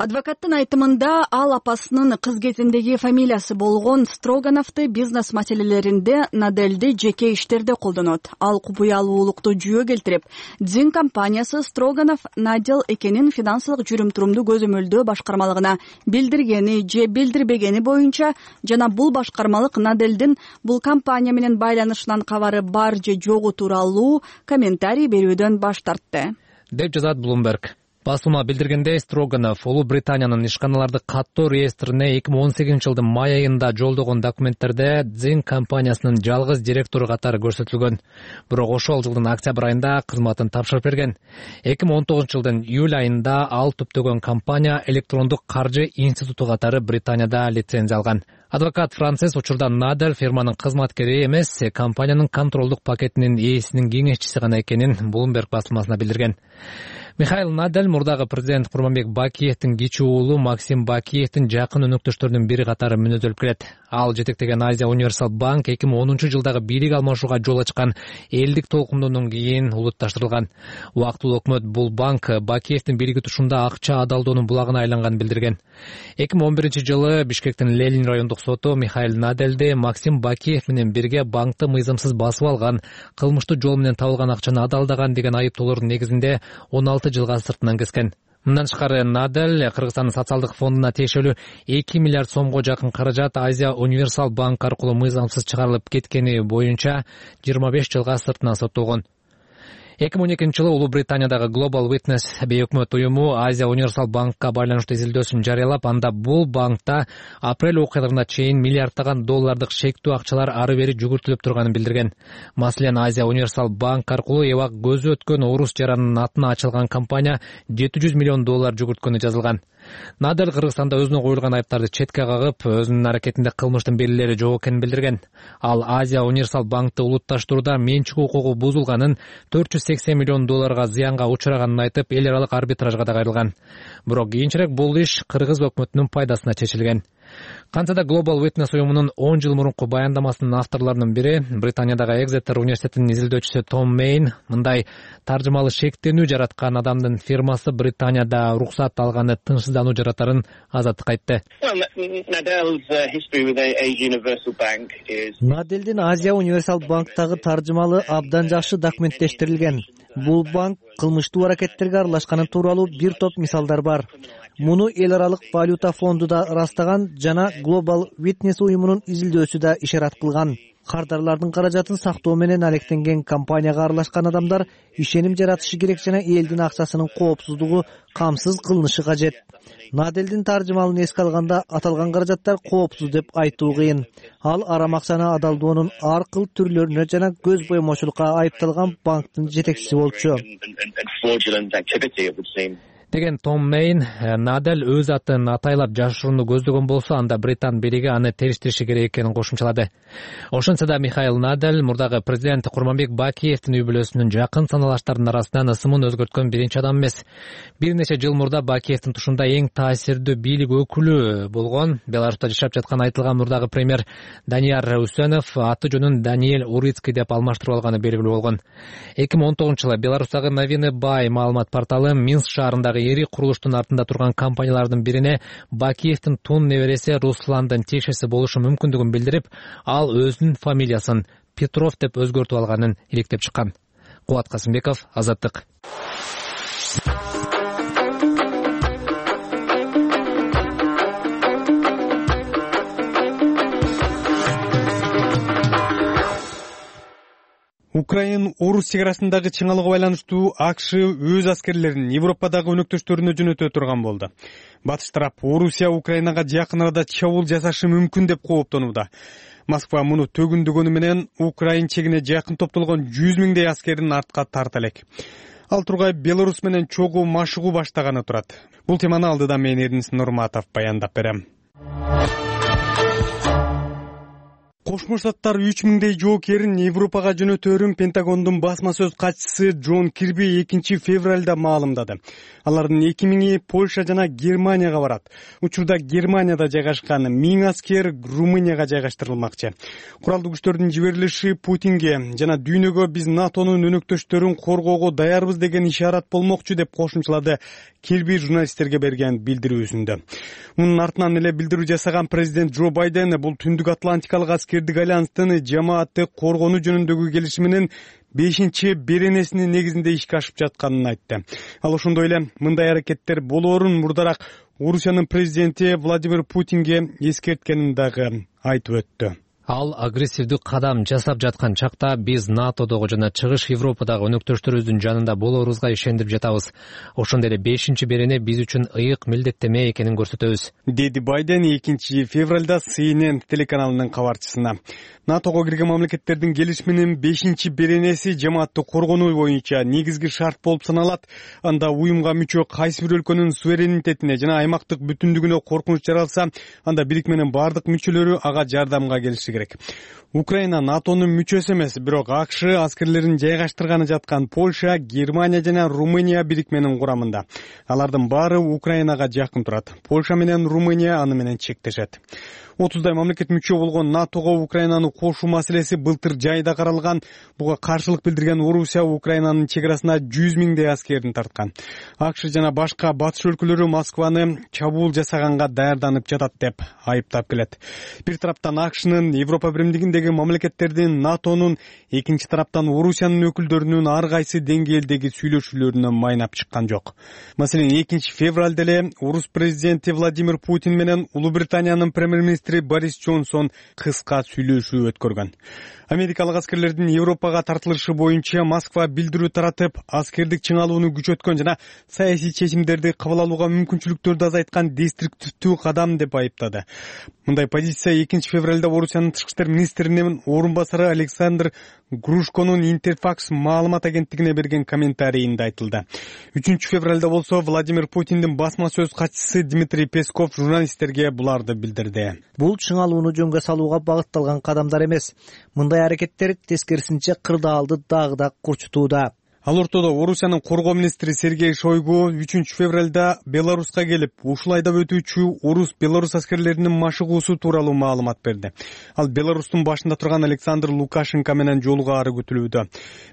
Адвокаттын айтымында ал апасынын кыз кезиндеги фамилиясы болгон Строгановду бизнес маселелеринде Надельди жеке иштерде колдонот. Ал купуялуулукту жүйө келтирип, Zing компаниясы Строганов Надель экенин финансылык жүрүм-турумду көзөмөлдөө башкармалыгына билдиргени же билдирбегени боюнча жана бул башкармалык Надельдин бул компания менен байланышынан кабары бар же жогу тууралуу комментарий берүүдөн баш тартты, деп жазат Bloomberg. Басылма билдиргендей, Строганов Улуу Британиянын ишканаларды каттоо реестрине 2018 жылдын май айында жолдогон документтерде Zing компаниясынын жалгыз директору катары көрсөтүлгөн. Бирок ошол жылдын октябрь айында кызматын тапшырып берген. 2019 жылдын июль айында ал түптөгөн компания электрондук каржы институту катары Британияда лицензия алган. Адвокат Францис учурда Надель фирманын кызматкери эмес, компаниянын контролдук пакетинин ээсинин кеңешчиси гана экенин Bloomberg басылмасына билдирген. Михаил Надель мурдагы президент Курманбек Бакиевдин кичүү уулу Максим Бакиевдин жакын өнөктөштөрүнүн бири катары мүнөздөлүп келет. Ал жетектеген Азия Универсал Банк 2010 жылдагы бийлик алмашууга жол ачкан элдик толкундоодон кийин улутташтырылган. Убактылуу өкмөт бул банк Бакиевдин бийлиги тушунда акча адалдоонун булагына айланганын билдирген. 2011 жылы Бишкектин Ленин райондук соту Михаил Надельди Максим Бакиев менен бирге банкты мыйзамсыз басып алган, кылмыштуу жол менен табылган акчаны адалдаган деген айыптоолордун негизинде 16 жылга сыртынан кескен. Мындан тышкары Надель Кыргызстандын социалдык фондуна тиешелүү 2 миллиард сомго жакын каражат Азия Универсал Банк аркылуу мыйзамсыз чыгарылып кеткени боюнча 25 жылга сыртынан соттолгон. 2012 жылы Улуу Британиядагы Global Witness бейөкмөт уюму Азия Универсал Банкка байланыштуу изилдөөсүн жарыялап, анда бул банкта апрель окуяларына чейин миллиарддаган доллардык шектүү акчалар ары бери жүгүртүлүп турганын билдирген. Маселен, Азия Универсал Банк аркылуу эбак көзү өткөн орус жаранынын атына ачылган компания $700 миллион жүгүрткөнү жазылган. Надель Кыргызстанда өзүнө коюлган айыптарды четке кагып, өзүнүн аракетинде кылмыштын белгилери жок экенин билдирген. Ал Азия Универсал Банкты улутташтырууда менчик укугу бузулганын, $480 миллион зыянга учураганын айтып, эл аралык арбитражга да кайрылган. Бирок кийинчерээк бул иш кыргыз өкмөтүнүн пайдасына чечилген. Кантса да Global Witness уюмунун 10 жыл мурунку баяндамасынын авторлорунун бири, Британиядагы Exeter университетинин изилдөөчүсү Том Мейн, мындай таржымалы шектенүү жараткан адамдын фирмасы Британияда уруксат алганы тынчсыздануу жаратарын азаттыкка айтты. Надельдин Азия Универсал Банктагы таржымалы абдан жакшы документтештирилген. Бул банк кылмыштуу аракеттерге аралашканы тууралуу бир топ мисалдар бар. Муну эл аралык валюта фонду да ырастаган жана Global Witness уюмунун изилдөөсү да ишарат кылган. Кардарлардын каражатын сактоо менен алектенген компанияга аралашкан адамдар ишеним жаратышы керек жана элдин акчасынын коопсуздугу камсыз кылынышы кажет. Надельдин таржымалын эске алганда аталган каражаттар коопсуз деп айтуу кыйын. Ал арам акчаны адалдоонун ар кыл түрлөрүнө жана көз боймочулукка айыпталган банктын жетекчиси болчу деген Том Мейн. Надель өз атын атайлап жашырууну көздөгөн болсо, анда Британ бийлиги аны териштириши керек экенин кошумчалады. Ошентсе да Михаил Надель мурдагы президент Курманбек Бакиевдин үй бүлөсүнүн жакын саналаштарынын арасынан ысымын өзгөрткөн биринчи адам эмес. Бир нече жыл мурда Бакиевдин тушунда эң таасирдүү бийлик өкүлү болгон Беларуста жашап жаткан айтылган мурдагы премьер Данияр Үсөнов аты жөнүн Даниэль Урицкий деп алмаштырып алганы белгилүү болгон. 2019 жылы Беларустагы Новины Бай маалымат порталы Минск шаарындагы эри курулуштун артында турган компаниялардын бирине Бакиевдин тун небереси Русландын тиешеси болушу мүмкүндүгүн билдирип, ал өзүнүн фамилиясын Петров деп өзгөртүп алганын иликтеп чыккан. Кубат Касымбеков, Азаттык. Украин-Орус чегарасындагы чыңалууга байланыштуу АКШ өз аскерлерин Европадагы өнөктөштөрүнө жөнөтө турган болду. Батыш тарап Орусия Украинага жакын арада чабуул жасашы мүмкүн деп кооптонууда. Москва муну төгүндөгөнү менен Украин чегине жакын топтолгон 100 миңдей аскерин артка тарта элек. Ал тургай Беларус менен чогуу машыгуу баштаганы турат. Бул теманы алдыда мен Эрдинис Нурматов баяндап берем. Кошмо Штаттар 3 миңдей жоокерин Европага жөнөтөөрүн Пентагондун басма сөз катчысы Джон Кирби 2 февралда маалымдады. Алардын 2 миңи Польша жана Германияга барат. Учурда Германияда жайгашкан 1000 аскер Румынияга жайгаштырылмакчы. Куралдуу күчтөрдүн жиберилиши Путинге жана дүйнөгө биз НАТОнун өнөктөштөрүн коргоого даярбыз деген ишарат болмокчу деп кошумчалады Кирби журналисттерге берген билдирүүсүндө. Мунун артынан эле билдирүү жасаган президент Джо Байден бул Түндүк Атлантикалык аскердик альянстын жамаатты коргонуу жөнүндөгү келишиминин 5-беренесинин негизинде ишке ашып жатканын айтты. Ал ошондой эле мындай аракеттер болоорун мурдараак Орусиянын президенти Владимир Путинге эскерткенин дагы айтып өттү. Ал агрессивдүү кадам жасап жаткан чакта биз НАТОдогу жана Чыгыш Европадагы өнөктөштөрүбүздүн жанында болоорубузга ишендип жатабыз. Ошондой эле 5-берене биз үчүн ыйык милдеттеме экенин көрсөтөбүз, деди Байден 2 февралда CNN телеканалынын кабарчысына. НАТОго кирген мамлекеттердин келишиминин 5-беренеси жамаатты коргонуу боюнча негизги шарт болуп саналат. Анда уюмга мүчө кайсы бир өлкөнүн суверенитетине жана аймактык бүтүндүгүнө коркунуч жаралса, анда бирикменин бардык мүчөлөрү ага жардамга келиши керек. Украина НАТОнун мүчөсү эмес, бирок АКШ аскерлерин жайгаштырганы жаткан Польша, Германия жана Румыния бирикменин курамында. Алардын баары Украинага жакын турат. Польша менен Румыния аны менен чектешет. 30дай мамлекет мүчө болгон НАТОго Украинаны кошуу маселеси былтыр жайда каралган. Буга каршылык билдирген Орусия Украинанын чек арасына 100 миңдей аскерин тарткан. АКШ жана башка батыш өлкөлөрү Москваны чабуул жасаганга даярданып жатат деп айыптап келет. Бир тараптан АКШнын Европа биримдигиндеги мамлекеттердин, НАТОнун, экинчи тараптан Орусиянын өкүлдөрүнүн ар кайсы деңгээлдеги сүйлөшүүлөрүнө майнап чыккан жок. Маселен, 2-февралда эле Орус президенти Владимир Путин менен Улуу Британиянын премьер-министри Борис Джонсон кыска сүйлөшүү өткөргөн. Америкалык аскерлердин Европага тартылышы боюнча Москва билдирүү таратып, аскердик чыңалууну күчөткөн жана саясий чечимдерди кабыл алууга мүмкүнчүлүктөрдү азайткан деструктивдүү кадам деп айыптады. Мындай позиция 2-февралда Орусиянын тышкы иштер министринин орун басары Александр Грушконун Интерфакс маалымат агенттигине берген комментарийинде айтылды. 3-февралда болсо Владимир Путиндин басма сөз катчысы Дмитрий Песков журналисттерге буларды билдирди. Бул чыңалууну жөнгө салууга багытталган кадамдар эмес. Мындай аракеттер тескерисинче кырдаалды дагы да курчутууда. Ал ортодо Орусиянын коргоо министри Сергей Шойгу 3-февралда Беларуска келип, ушул айда өтүүчү Орус-Беларус аскерлеринин машыгуусу тууралуу маалымат берди. Ал Беларустун башында турган Александр Лукашенко менен жолугаары күтүлүүдө.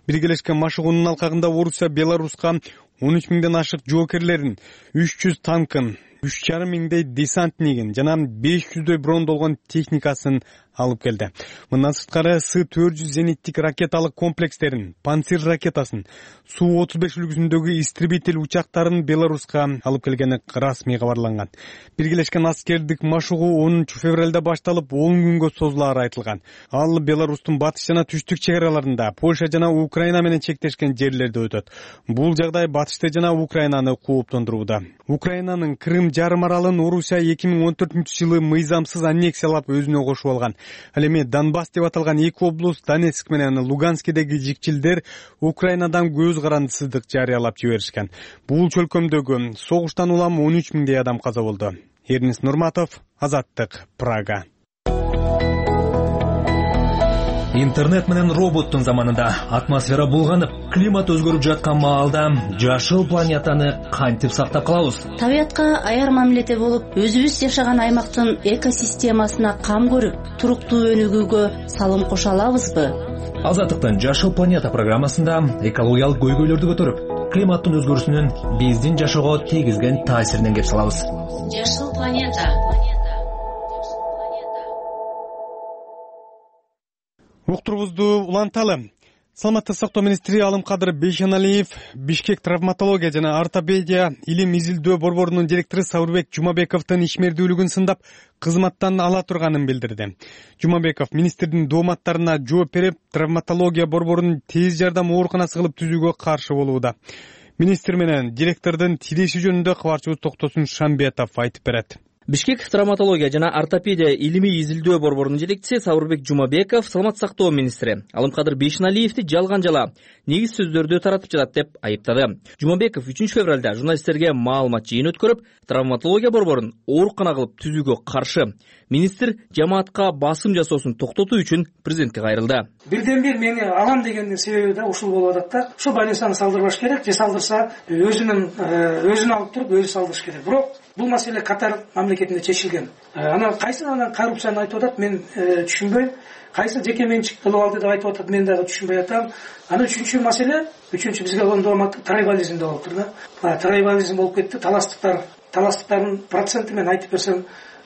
Биргелешкен машыгуунун алкагында Орусия Беларуска 13 миңден ашык жоокерлерин, 300 танкын, 3,5 миңдей десантнигин жана 500дөй брондолгон техникасын алып келди. Мындан сырткары С-400 зениттик ракеталык комплекстерин, Панцир ракетасын, Су-35 үлгүсүндөгү истребитель учактарын Беларуска алып келгени расмий кабарланган. Биргелешкен аскердик машыгуу 10-февралда башталып 10 күнгө созулаары айтылган. Ал Беларустун батыш жана түштүк чек араларында, Польша жана Украина менен чектешкен жерлерде өтөт. Бул жагдай батышты жана Украинаны кооптондурууда. Украинанын Крым жарым аралын Орусия 2014-жылы мыйзамсыз аннексиялап өзүнө кошуп алган. Ал эми Донбасс деп аталган эки область Донецк менен Луганскидеги жикчилдер Украинадан көз карандысыздык жарыялап жиберишкен. Бул чөлкөмдөгү согуштан улам 13 миңдей адам каза болду. Эрнис Нурматов, Азаттык, Прага. Интернет менен роботтун заманында атмосфера булганып, климат өзгөрүп жаткан маалда жашыл планетаны кантип сактап калабыз? Табиятка аяр мамиледе болуп, өзүбүз жашаган аймактын экосистемасына кам көрүп, туруктуу өнүгүүгө салым кошо алабызбы? Азаттыктын Жашыл планета программасында экологиялык көйгөйлөрдү көтөрүп, климаттын өзгөрүүсүнүн биздин жашоого тийгизген таасиринен кеп салабыз. Жашыл планета. Уктурубузду уланталы. Саламаттык сактоо министри Алымкадыр Бейшеналиев Бишкек травматология жана ортопедия илим изилдөө борборунун директору Сабырбек Жумабековдун ишмердүүлүгүн сындап, кызматтан ала турганын билдирди. Жумабеков министрдин дооматтарына жооп берип, травматология борборунун тез жардам ооруканасы кылып түзүүгө каршы болууда. Министр менен директордун тилеши жөнүндө кабарчыбыз Токтосун Шамбетов айтып берет. Бишкек травматология жана ортопедия илимий изилдөө борборунун жетекчиси Сабырбек Жумабеков саламаттык сактоо министри Алымкадыр Бейшеналиевди жалган жала негиз сөздөрдү таратып жатат деп айыптады. Жумабеков 3-февралда журналисттерге маалымат жыйын өткөрүп, травматология борборун оорукана кылып түзүүгө каршы. Министр жамаатка басым жасоосун токтотуу үчүн президентке кайрылды. Бирден бир мени алам деген себеби да ушул болуп атат да. Ушу больницаны салдырбаш керек, же салдырса өзүн алып туруп өзү салдырыш керек. Бирок бул маселе Катар мамлекетинде чечилген. Анан кайсы коррупцияны айтып атат, мен түшүнбөйм. Кайсы жеке менчик кылып алды деп айтып атат, мен дагы түшүнбөй атам. Анан үчүнчү маселе, бизге оңдомак трайбализм деп атыптыр да. Трайбализм болуп кетти, таластыктардын проценти мен айтып берсем,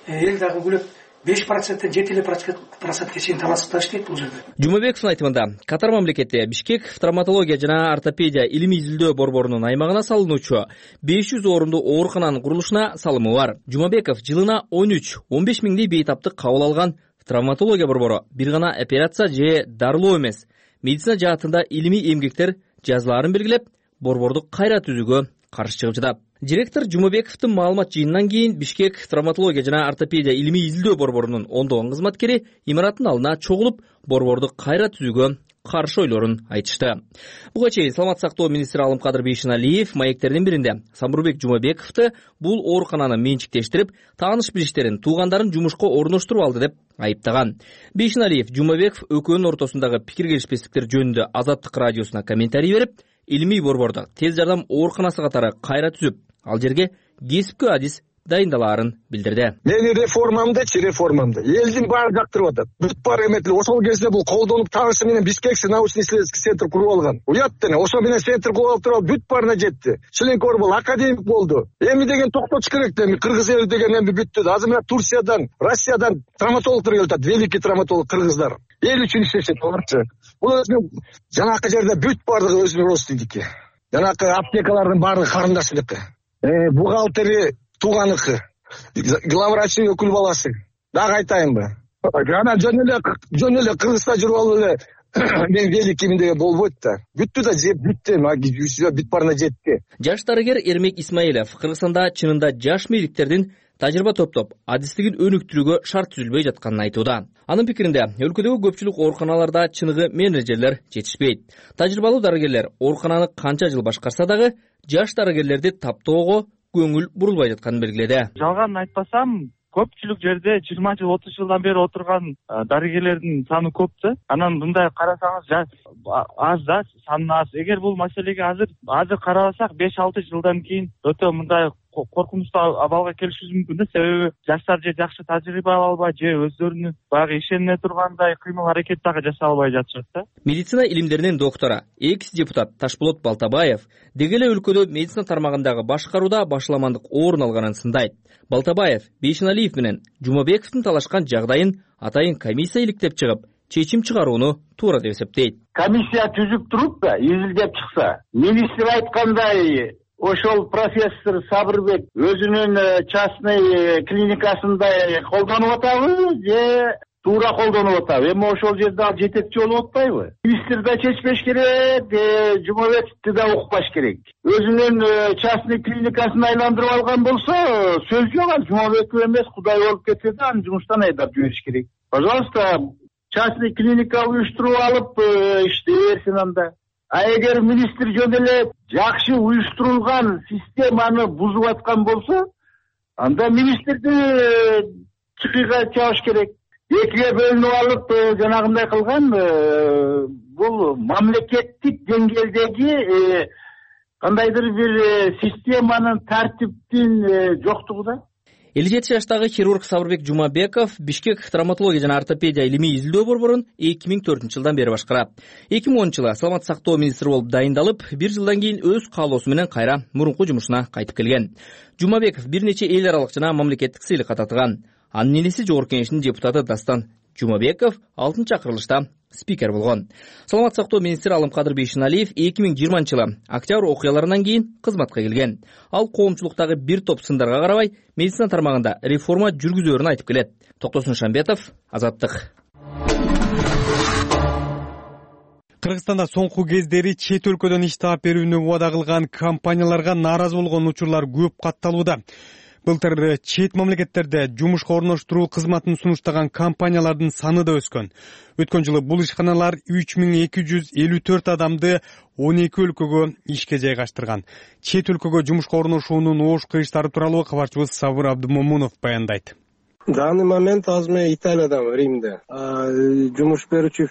эл дагы күлөт. 5%-тен 7% чейин таластыктар иштейт бул жерде. Жумабековдун айтымында, Катар мамлекети Бишкек травматология жана ортопедия илимий изилдөө борборунун аймагына салынуучу 500 орунду оорукананын курулушуна салымы бар. Жумабеков жылына 13-15 миңдей бейтаптык кабыл алган травматология борбору бир гана операция же дарылоо эмес, медицина жаатында илимий эмгектер жазылаарын белгилеп, борборду кайра түзүүгө каршы чыгып жатат. Директор Жумабековдун маалымат жыйынынан кийин Бишкек травматология жана ортопедия илимий изилдөө борборунун ондогон кызматкери имараттын алдына чогулуп, борборду кайра түзүүгө каршы ойлорун айтышты. Буга чейин саламаттык сактоо министри Алымкадыр Бейшеналиев маектердин биринде Самурбек Жумабековду бул оорукананы менчиктештирип, тааныш-билиштерин, туугандарын жумушка орноштуруп алды деп айыптаган. Бейшеналиев Жумабеков экөөнүн ортосундагы пикир келишпестиктер жөнүндө Азаттык радиосуна комментарий берип, илимий борборду тез жардам ооруканасы катары кайра түзүп, ал жерге кесипкө адис дайындалаарын билдирди. Мени реформамды элдин баары жактырып атат. Бүт баары эметил. Ошол кезде бул колдонуп таанышы менен Бишкекте научно-исследовательский центр куруп алган. Уят дене, ошо менен центр куруп алып туруп бүт баарына жетти. Членкор болду, академик болду. Эми деген токтотуш керек эми кыргыз эли деген эми бүттү. Азыр мына Турциядан, Россиядан травматологдор келип атат. Великий травматолог кыргыздар. Эл үчүн иштешет аларчы. Бул өзүнүн жанакы жерде бүт баардыгы өзүнүн родственники. Жанакы аптекалардын баардыгы карындашыныкы. Бухгалтери тууганыкы, главврачтын өкүл баласы. Дагы айтайынбы? Жана жөн эле Кыргызста жүрүп алып эле мен великиймин деген болбойт да. Бүттү да бүттү, бүт баарына жетти. Жаш дарыгер Эрмек Исмаилов Кыргызстанда чынында жаш медиктердин тажрыйба топтоп, адистигин өнүктүрүүгө шарт түзүлбөй жатканын айтууда. Анын пикиринде, өлкөдөгү көпчүлүк ооруканаларда чыныгы менеджерлер жетишпейт. Тажрыйбалуу дарыгерлер оорукананы канча жыл башкарса дагы, жаш дарыгерлерди таптоого көңүл бурулбай жатканын белгиледи. Жалганын айтпасам, көпчүлүк жерде 20 жыл, 30 жылдан бери отурган дарыгерлердин саны көп да. Анан мындай карасаңыз аз да, саны аз. Эгер бул маселеге азыр карабасак, 5-6 жылдан кийин өтө мындай коркунучтуу абалга келишибиз мүмкүн да. Себеби жаштар же жакшы тажрыйба ала албай, же өздөрүнүн баягы ишене тургандай кыймыл аракет дагы жасай албай жатышат да. Медицина илимдеринин доктору, экс-депутат Ташболот Балтабаев деги эле өлкөдө медицина тармагындагы башкарууда башаламандык орун алганын сындайт. Балтабаев Бейшеналиев менен Жумабековдун талашкан жагдайын атайын комиссия иликтеп чыгып, чечим чыгарууну туура деп эсептейт. Комиссия түзүп туруп да изилдеп чыкса, министр айткандай ошол профессор Сабырбек өзүнүн частный клиникасында колдонуп атабы же туура колдонуп атабы? Эми ошол жерде ал жетекчи болуп атпайбы? Министр да чечпеш керек, Жумабековду да укпаш керек. Өзүнүн частный клиникасын айландырып алган болсо, сөз жок, ал Жумабеков эмес, Кудай болуп кетсе да аны жумуштан айдап жибериш керек. Пожалуйста, частный клиника уюштуруп алып иштей берсин анда. А эгер министр жөн эле жакшы уюштурулган системаны бузуп аткан болсо, анда министрди чыкыйга чабыш керек. Экиге бөлүнүп алып жанагындай кылган бул мамлекеттик деңгээлдеги кандайдыр бир системанын, тартиптин жоктугу да. 57 жаштагы хирург Сабырбек Жумабеков Бишкек травматология жана ортопедия илимий изилдөө борборун 2004-жылдан бери башкарат. 2010-жылы саламаттык сактоо министри болуп дайындалып, 1 жылдан кийин өз каалоосу менен кайра мурунку жумушуна кайтып келген. Жумабеков бир нече эл аралык жана мамлекеттик сыйлыкка татыган. Анын энеси Жогорку Кеңештин депутаты Дастан Жумабеков 6-чакырылышта спикер болгон. Саламаттык сактоо министри Алымкадыр Бейшеналиев 2020-жылы октябрь окуяларынан кийин кызматка келген. Ал коомчулуктагы бир топ сындарга карабай медицина тармагында реформа жүргүзөөрүн айтып келет. Токтосун Шамбетов, Азаттык. Кыргызстанда соңку кездери чет өлкөдөн иш таап берүүнү убада кылган компанияларга нааразы болгон учурлар көп катталууда. Былтыр чет мамлекеттерде жумушка орноштуруу кызматын сунуштаган компаниялардын саны да өскөн. Өткөн жылы бул ишканалар 3254 адамды 12 өлкөгө ишке жайгаштырган. Чет өлкөгө жумушка орношуунун оош кыйыштары тууралуу кабарчыбыз Сабыр Абдумомунов баяндайт. В данный момент азыр мен Италиядамын, Римде. Жумуш берүүчү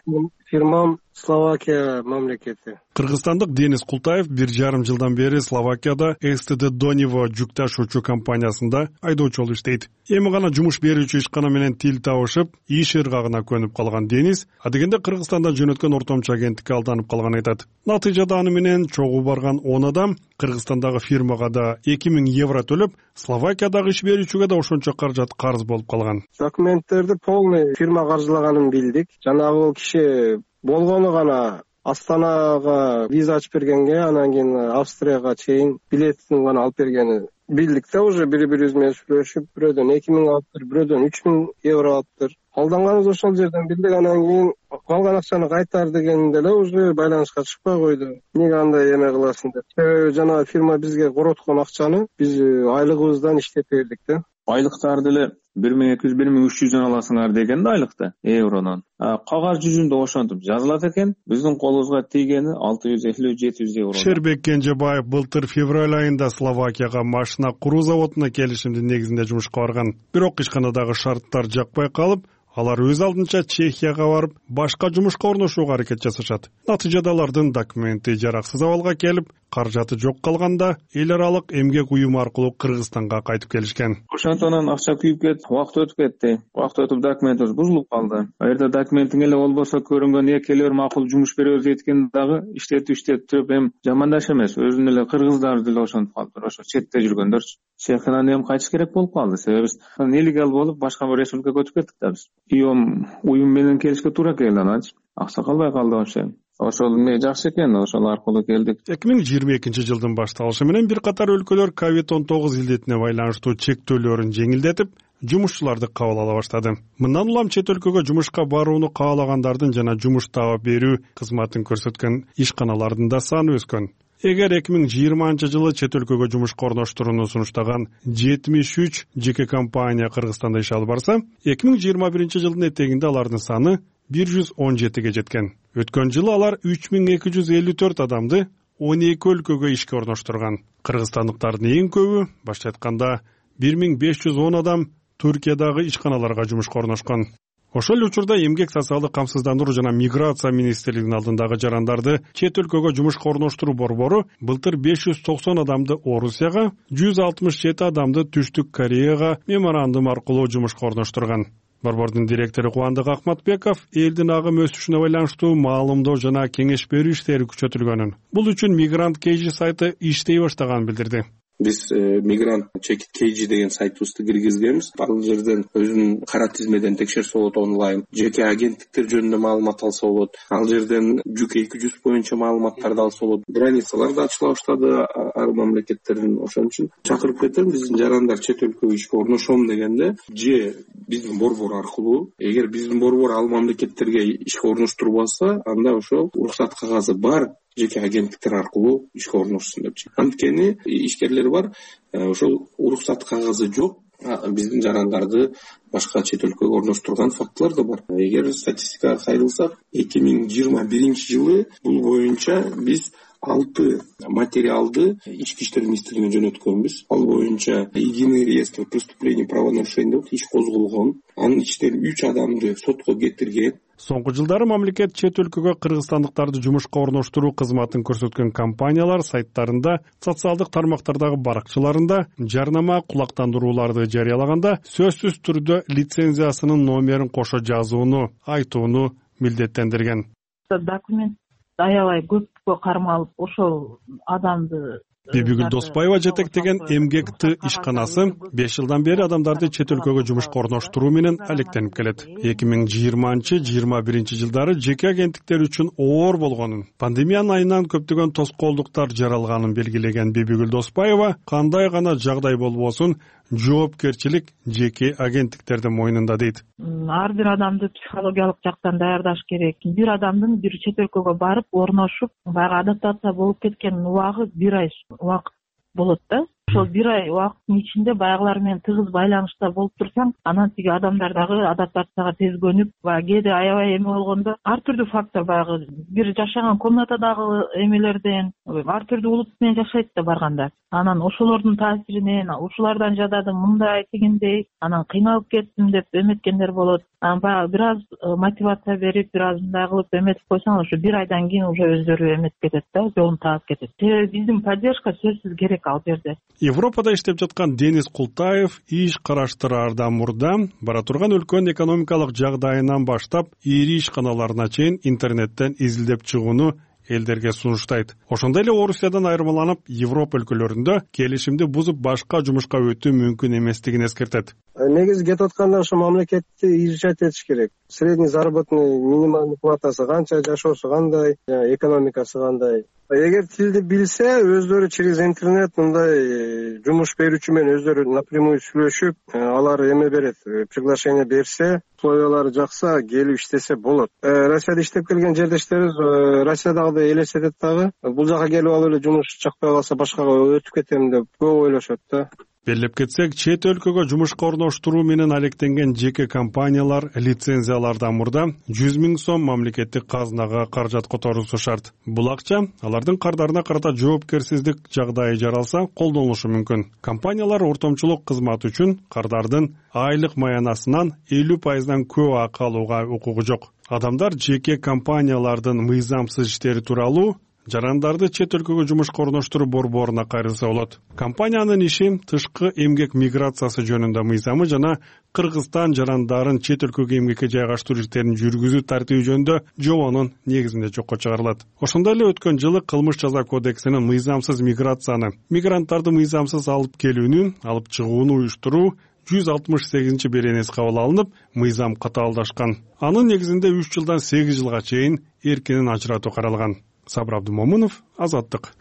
фирмам Словакия мамлекети. Кыргызстандык Денис Култаев 1,5 жылдан бери Словакияда СТД Дониво жүк ташуучу компаниясында айдоочу болуп иштейт. Эми гана жумуш берүүчү ишкана менен тил табышып, иш ыргагына көнүп калган Денис адегенде Кыргызстандан жөнөткөн ортомчу агенттикке алданып калганын айтат. Натыйжада аны менен чогуу барган 10 адам Кыргызстандагы фирмага да 2000 евро төлөп, Словакиядагы иш берүүчүгө да ошончо каражат карыз болуп калган. Документтерди полный фирма каржылаганын билдик. Жанагы киши болгону гана Астанага виза ачып бергенге, анан кийин Австрияга чейин билетин гана алып бергени билдик да, уже бири бирибиз менен сүйлөшүп, бирөөдөн 2000 алыптыр, бирөөдөн 3000 евро алыптыр. Алданганыбыз ошол жерден билдик. Анан кийин калган акчаны кайтар дегенде эле уже байланышка чыкпай койду. Эмнеге андай эме кыласың деп. Себеби жанагы фирма бизге короткон акчаны биз айлыгыбыздан иштеп бердик да. Айлыктарды эле 1200 1300 аласыңар деген да айлыкты евронун. Кагаз жүзүндө ошентип жазылат экен. Биздин колубузга тийгени 650-700 евро. Шербек Кенжебаев былтыр февраль айында Словакияга машина куруу заводуна келишимдин негизинде жумушка барган. Бирок ишканадагы шарттар жакпай калып, алар өз алдынча Чехияга барып, башка жумушка орношууга аракет жасашат. Натыйжада алардын документи жараксыз абалга келип, каражаты жок калганда эл аралык эмгек уюму аркылуу Кыргызстанга кайтып келишкен. Ошондон акча күйүп кетти, убакыт өтүп кетти. Убакыт өтүп документибиз бузулуп калды. Аерде документиң эле болбосо көрүнгөн келер макул жумуш беребиз дейткени дагы иштетип эми жамандаш эмес. Өзүнүн эле кыргыздар деле ошентип калды. Ошо четте жүргөндөрчү. Чехиядан эми кайтыш керек болуп калды. Себеби биз нелегал болуп башка бир республикага өтүп кеттик да биз. Уюм менен келишке туура келди, ананчы акча калбай калды вообще. Ошол эмне жакшы экен, ошол аркылуу келдик. 2022-жылдын башталышы менен бир катар өлкөлөр COVID-19 илдетине байланыштуу чектөөлөрүн жеңилдетип, жумушчуларды кабыл ала баштады. Мындан улам чет өлкөгө жумушка барууну каалагандардын жана жумуш таап берүү кызматын көрсөткөн ишканалардын да саны өскөн. Эгер 2020-жылы чет өлкөгө жумушка орноштурууну сунуштаган 73 жеке компания Кыргызстанда иш алып барса, 2021-жылдын этегинде алардын саны 117ге жеткен. Өткөн жылы алар 3254 адамды 12 өлкөгө ишке орноштурган. Кыргызстандыктардын эң көбү, башка айтканда 1510 адам Түркиядагы ишканаларга жумушка орношкон. Ошол учурда эмгек социалдык камсыздандыруу жана миграция министрлигинин алдындагы жарандарды чет өлкөгө жумушка орноштуруу борбору былтыр 590 адамды Орусияга, 167 адамды Түштүк Кореяга меморандум аркылуу жумушка орноштурган. Борбордун директору Кубандык Акматбеков элдин агым өсүшүнө байланыштуу маалымдоо жана кеңеш берүү иштери күчөтүлгөнүн, бул үчүн Мигрант KG сайты иштей баштаганын билдирди. Биз Мигрант KG деген сайтыбызды киргизгенбиз. Ал жерден өзүнүн кара тизмеден текшерсе болот, онлайн жеке агенттиктер жөнүндө маалымат алса болот. Ал жерден жүк 200 боюнча маалыматтарды алса болот. Границалар да ачыла баштады ар мамлекеттердин. Ошон үчүн чакырып кетем, биздин жарандар чет өлкөгө ишке орношом дегенде же биздин борбор аркылуу, эгер биздин борбор ал мамлекеттерге ишке орноштурбаса, анда ошол уруксат кагазы бар жеке агенттиктер аркылуу ишке орношсун депчи. Анткени ишкерлер бар, ошол уруксат кагазы жок, биздин жарандарды башка чет өлкөгө орноштурган фактылар да бар. Эгер статистикага кайрылсак, 2021-жылы бул боюнча биз 6 материалды ички иштер министрлигине жөнөткөнбүз. Ал боюнча единый реестр преступлений правонарушений деп иш козголгон. Анын ичинен 3 адамды сотко кетирген. Соңку жылдары мамлекет чет өлкөгө кыргызстандыктарды жумушка орноштуруу кызматын көрсөткөн компаниялар сайттарында, социалдык тармактардагы баракчаларында жарнама кулактандырууларды жарыялаганда сөзсүз түрдө лицензиясынын номерин кошо жазууну, айтууну милдеттендирген. Документ аябай көпкө кармалып, ошол адамды Бибигүл Доспаева жетектеген эмгек Т ишканасы 5 жылдан бери адамдарды чет өлкөгө жумушка орноштуруу менен алектенип келет. 2020-21 жылдары жеке агенттиктер үчүн оор болгонун, пандемиянын айынан көптөгөн тоскоолдуктар жаралганын белгилеген Бибигүл Доспаева, кандай гана жагдай болбосун, жоопкерчилик жеке агенттиктердин мойнунда дейт. Ар бир адамды психологиялык жактан даярдаш керек. Бир адамдын бир чет өлкөгө барып орношуп, баягы адаптация болуп кеткен убагы 1 ай убакыт болот да. Ошол 1 ай убакыттын ичинде баягылар менен тыгыз байланышта болуп турсаң, анан тиги адамдар дагы адаптацияга тез көнүп, кээде аябай эме болгондо ар түрдүү фактор, баягы бир жашаган комнатадагы эмелерден ар түрдүү улут менен жашайт да барганда. Анан ошолордун таасиринен, ушулардан жададым, мындай тигиндей, анан кыйналып кеттим деп эметкендер болот. Анан баягы бир аз мотивация берип, бир аз мындай кылып эметип койсоң, ошо 1 айдан кийин уже өздөрү эметип кетет да, жолун таап кетет. Биздин поддержка сөзсүз керек ал жерде. Европада иштеп жаткан Денис Култаев иш караштыраардан мурда бара турган өлкөнүн экономикалык жагдайынан баштап ири ишканаларына чейин интернеттен изилдеп чыгууну элдерге сунуштайт. Ошондой эле Орусиядан айырмаланып, Европа өлкөлөрүндө келишимди бузуп башка жумушка өтүү мүмкүн эместигин эскертет. Негизи кетип атканда ошо мамлекетти изучать этиш керек. Средний заработный минимальный платасы канча, жашоосу кандай, экономикасы кандай. Эгер тилди билсе, өздөрү через интернет мындай жумуш берүүчү менен өздөрү напрямую сүйлөшүп, алар эме берет, приглашение берсе, условиялары жакса, келип иштесе болот. Россияда иштеп келген жердештерибиз Россиядагыдай элестетет дагы. Бул жака келип алып эле жумуш жакпай калса башкага өтүп кетем деп көп ойлошот да. Белгилеп кетсек, чет өлкөгө жумушка орноштуруу менен алектенген жеке компаниялар лицензиялардан мурда 100 000 сом мамлекеттик казынага каражат которусу шарт. Бул акча алардын кардарына карата жоопкерсиздик жагдайы жаралса колдонулушу мүмкүн. Компаниялар ортомчулук кызмат үчүн кардардын айлык маянасынан 50% көп акы алууга укугу жок. Адамдар жеке компаниялардын мыйзамсыз иштери тууралуу жарандарды чет өлкөгө жумушка орноштуруу борборуна кайрылса болот. Компаниянын иши тышкы эмгек миграциясы жөнүндө мыйзамы жана Кыргызстан жарандарын чет өлкөгө эмгекке жайгаштыруу иштерин жүргүзүү тартиби жөнүндө жобонун негизинде жокко чыгарылат. Ошондой эле өткөн жылы кылмыш жаза кодексинин мыйзамсыз миграцияны, мигранттарды мыйзамсыз алып келүүнү, алып чыгууну уюштуруу 168 беренеси кабыл алынып, мыйзам катаалдашкан. Анын негизинде 3 жылдан 8 жылга чейин эркинен ажыратуу каралган. Сабыр Абдумомунов, Азаттык.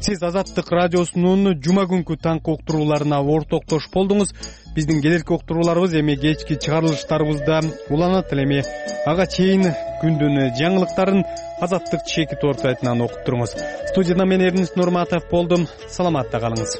Сиз Азаттык радиосунун жума күнкү таңкы уктурууларына ортоктош болдуңуз. Биздин келерки уктурууларыбыз эми кечки чыгарылыштарыбызда уланат эле. Эми ага чейин күндүн жаңылыктарын Азаттык чекит орто сайтынан окуп туруңуз. Студияда мен Эрнис Нурматов болдум. Саламатта калыңыз.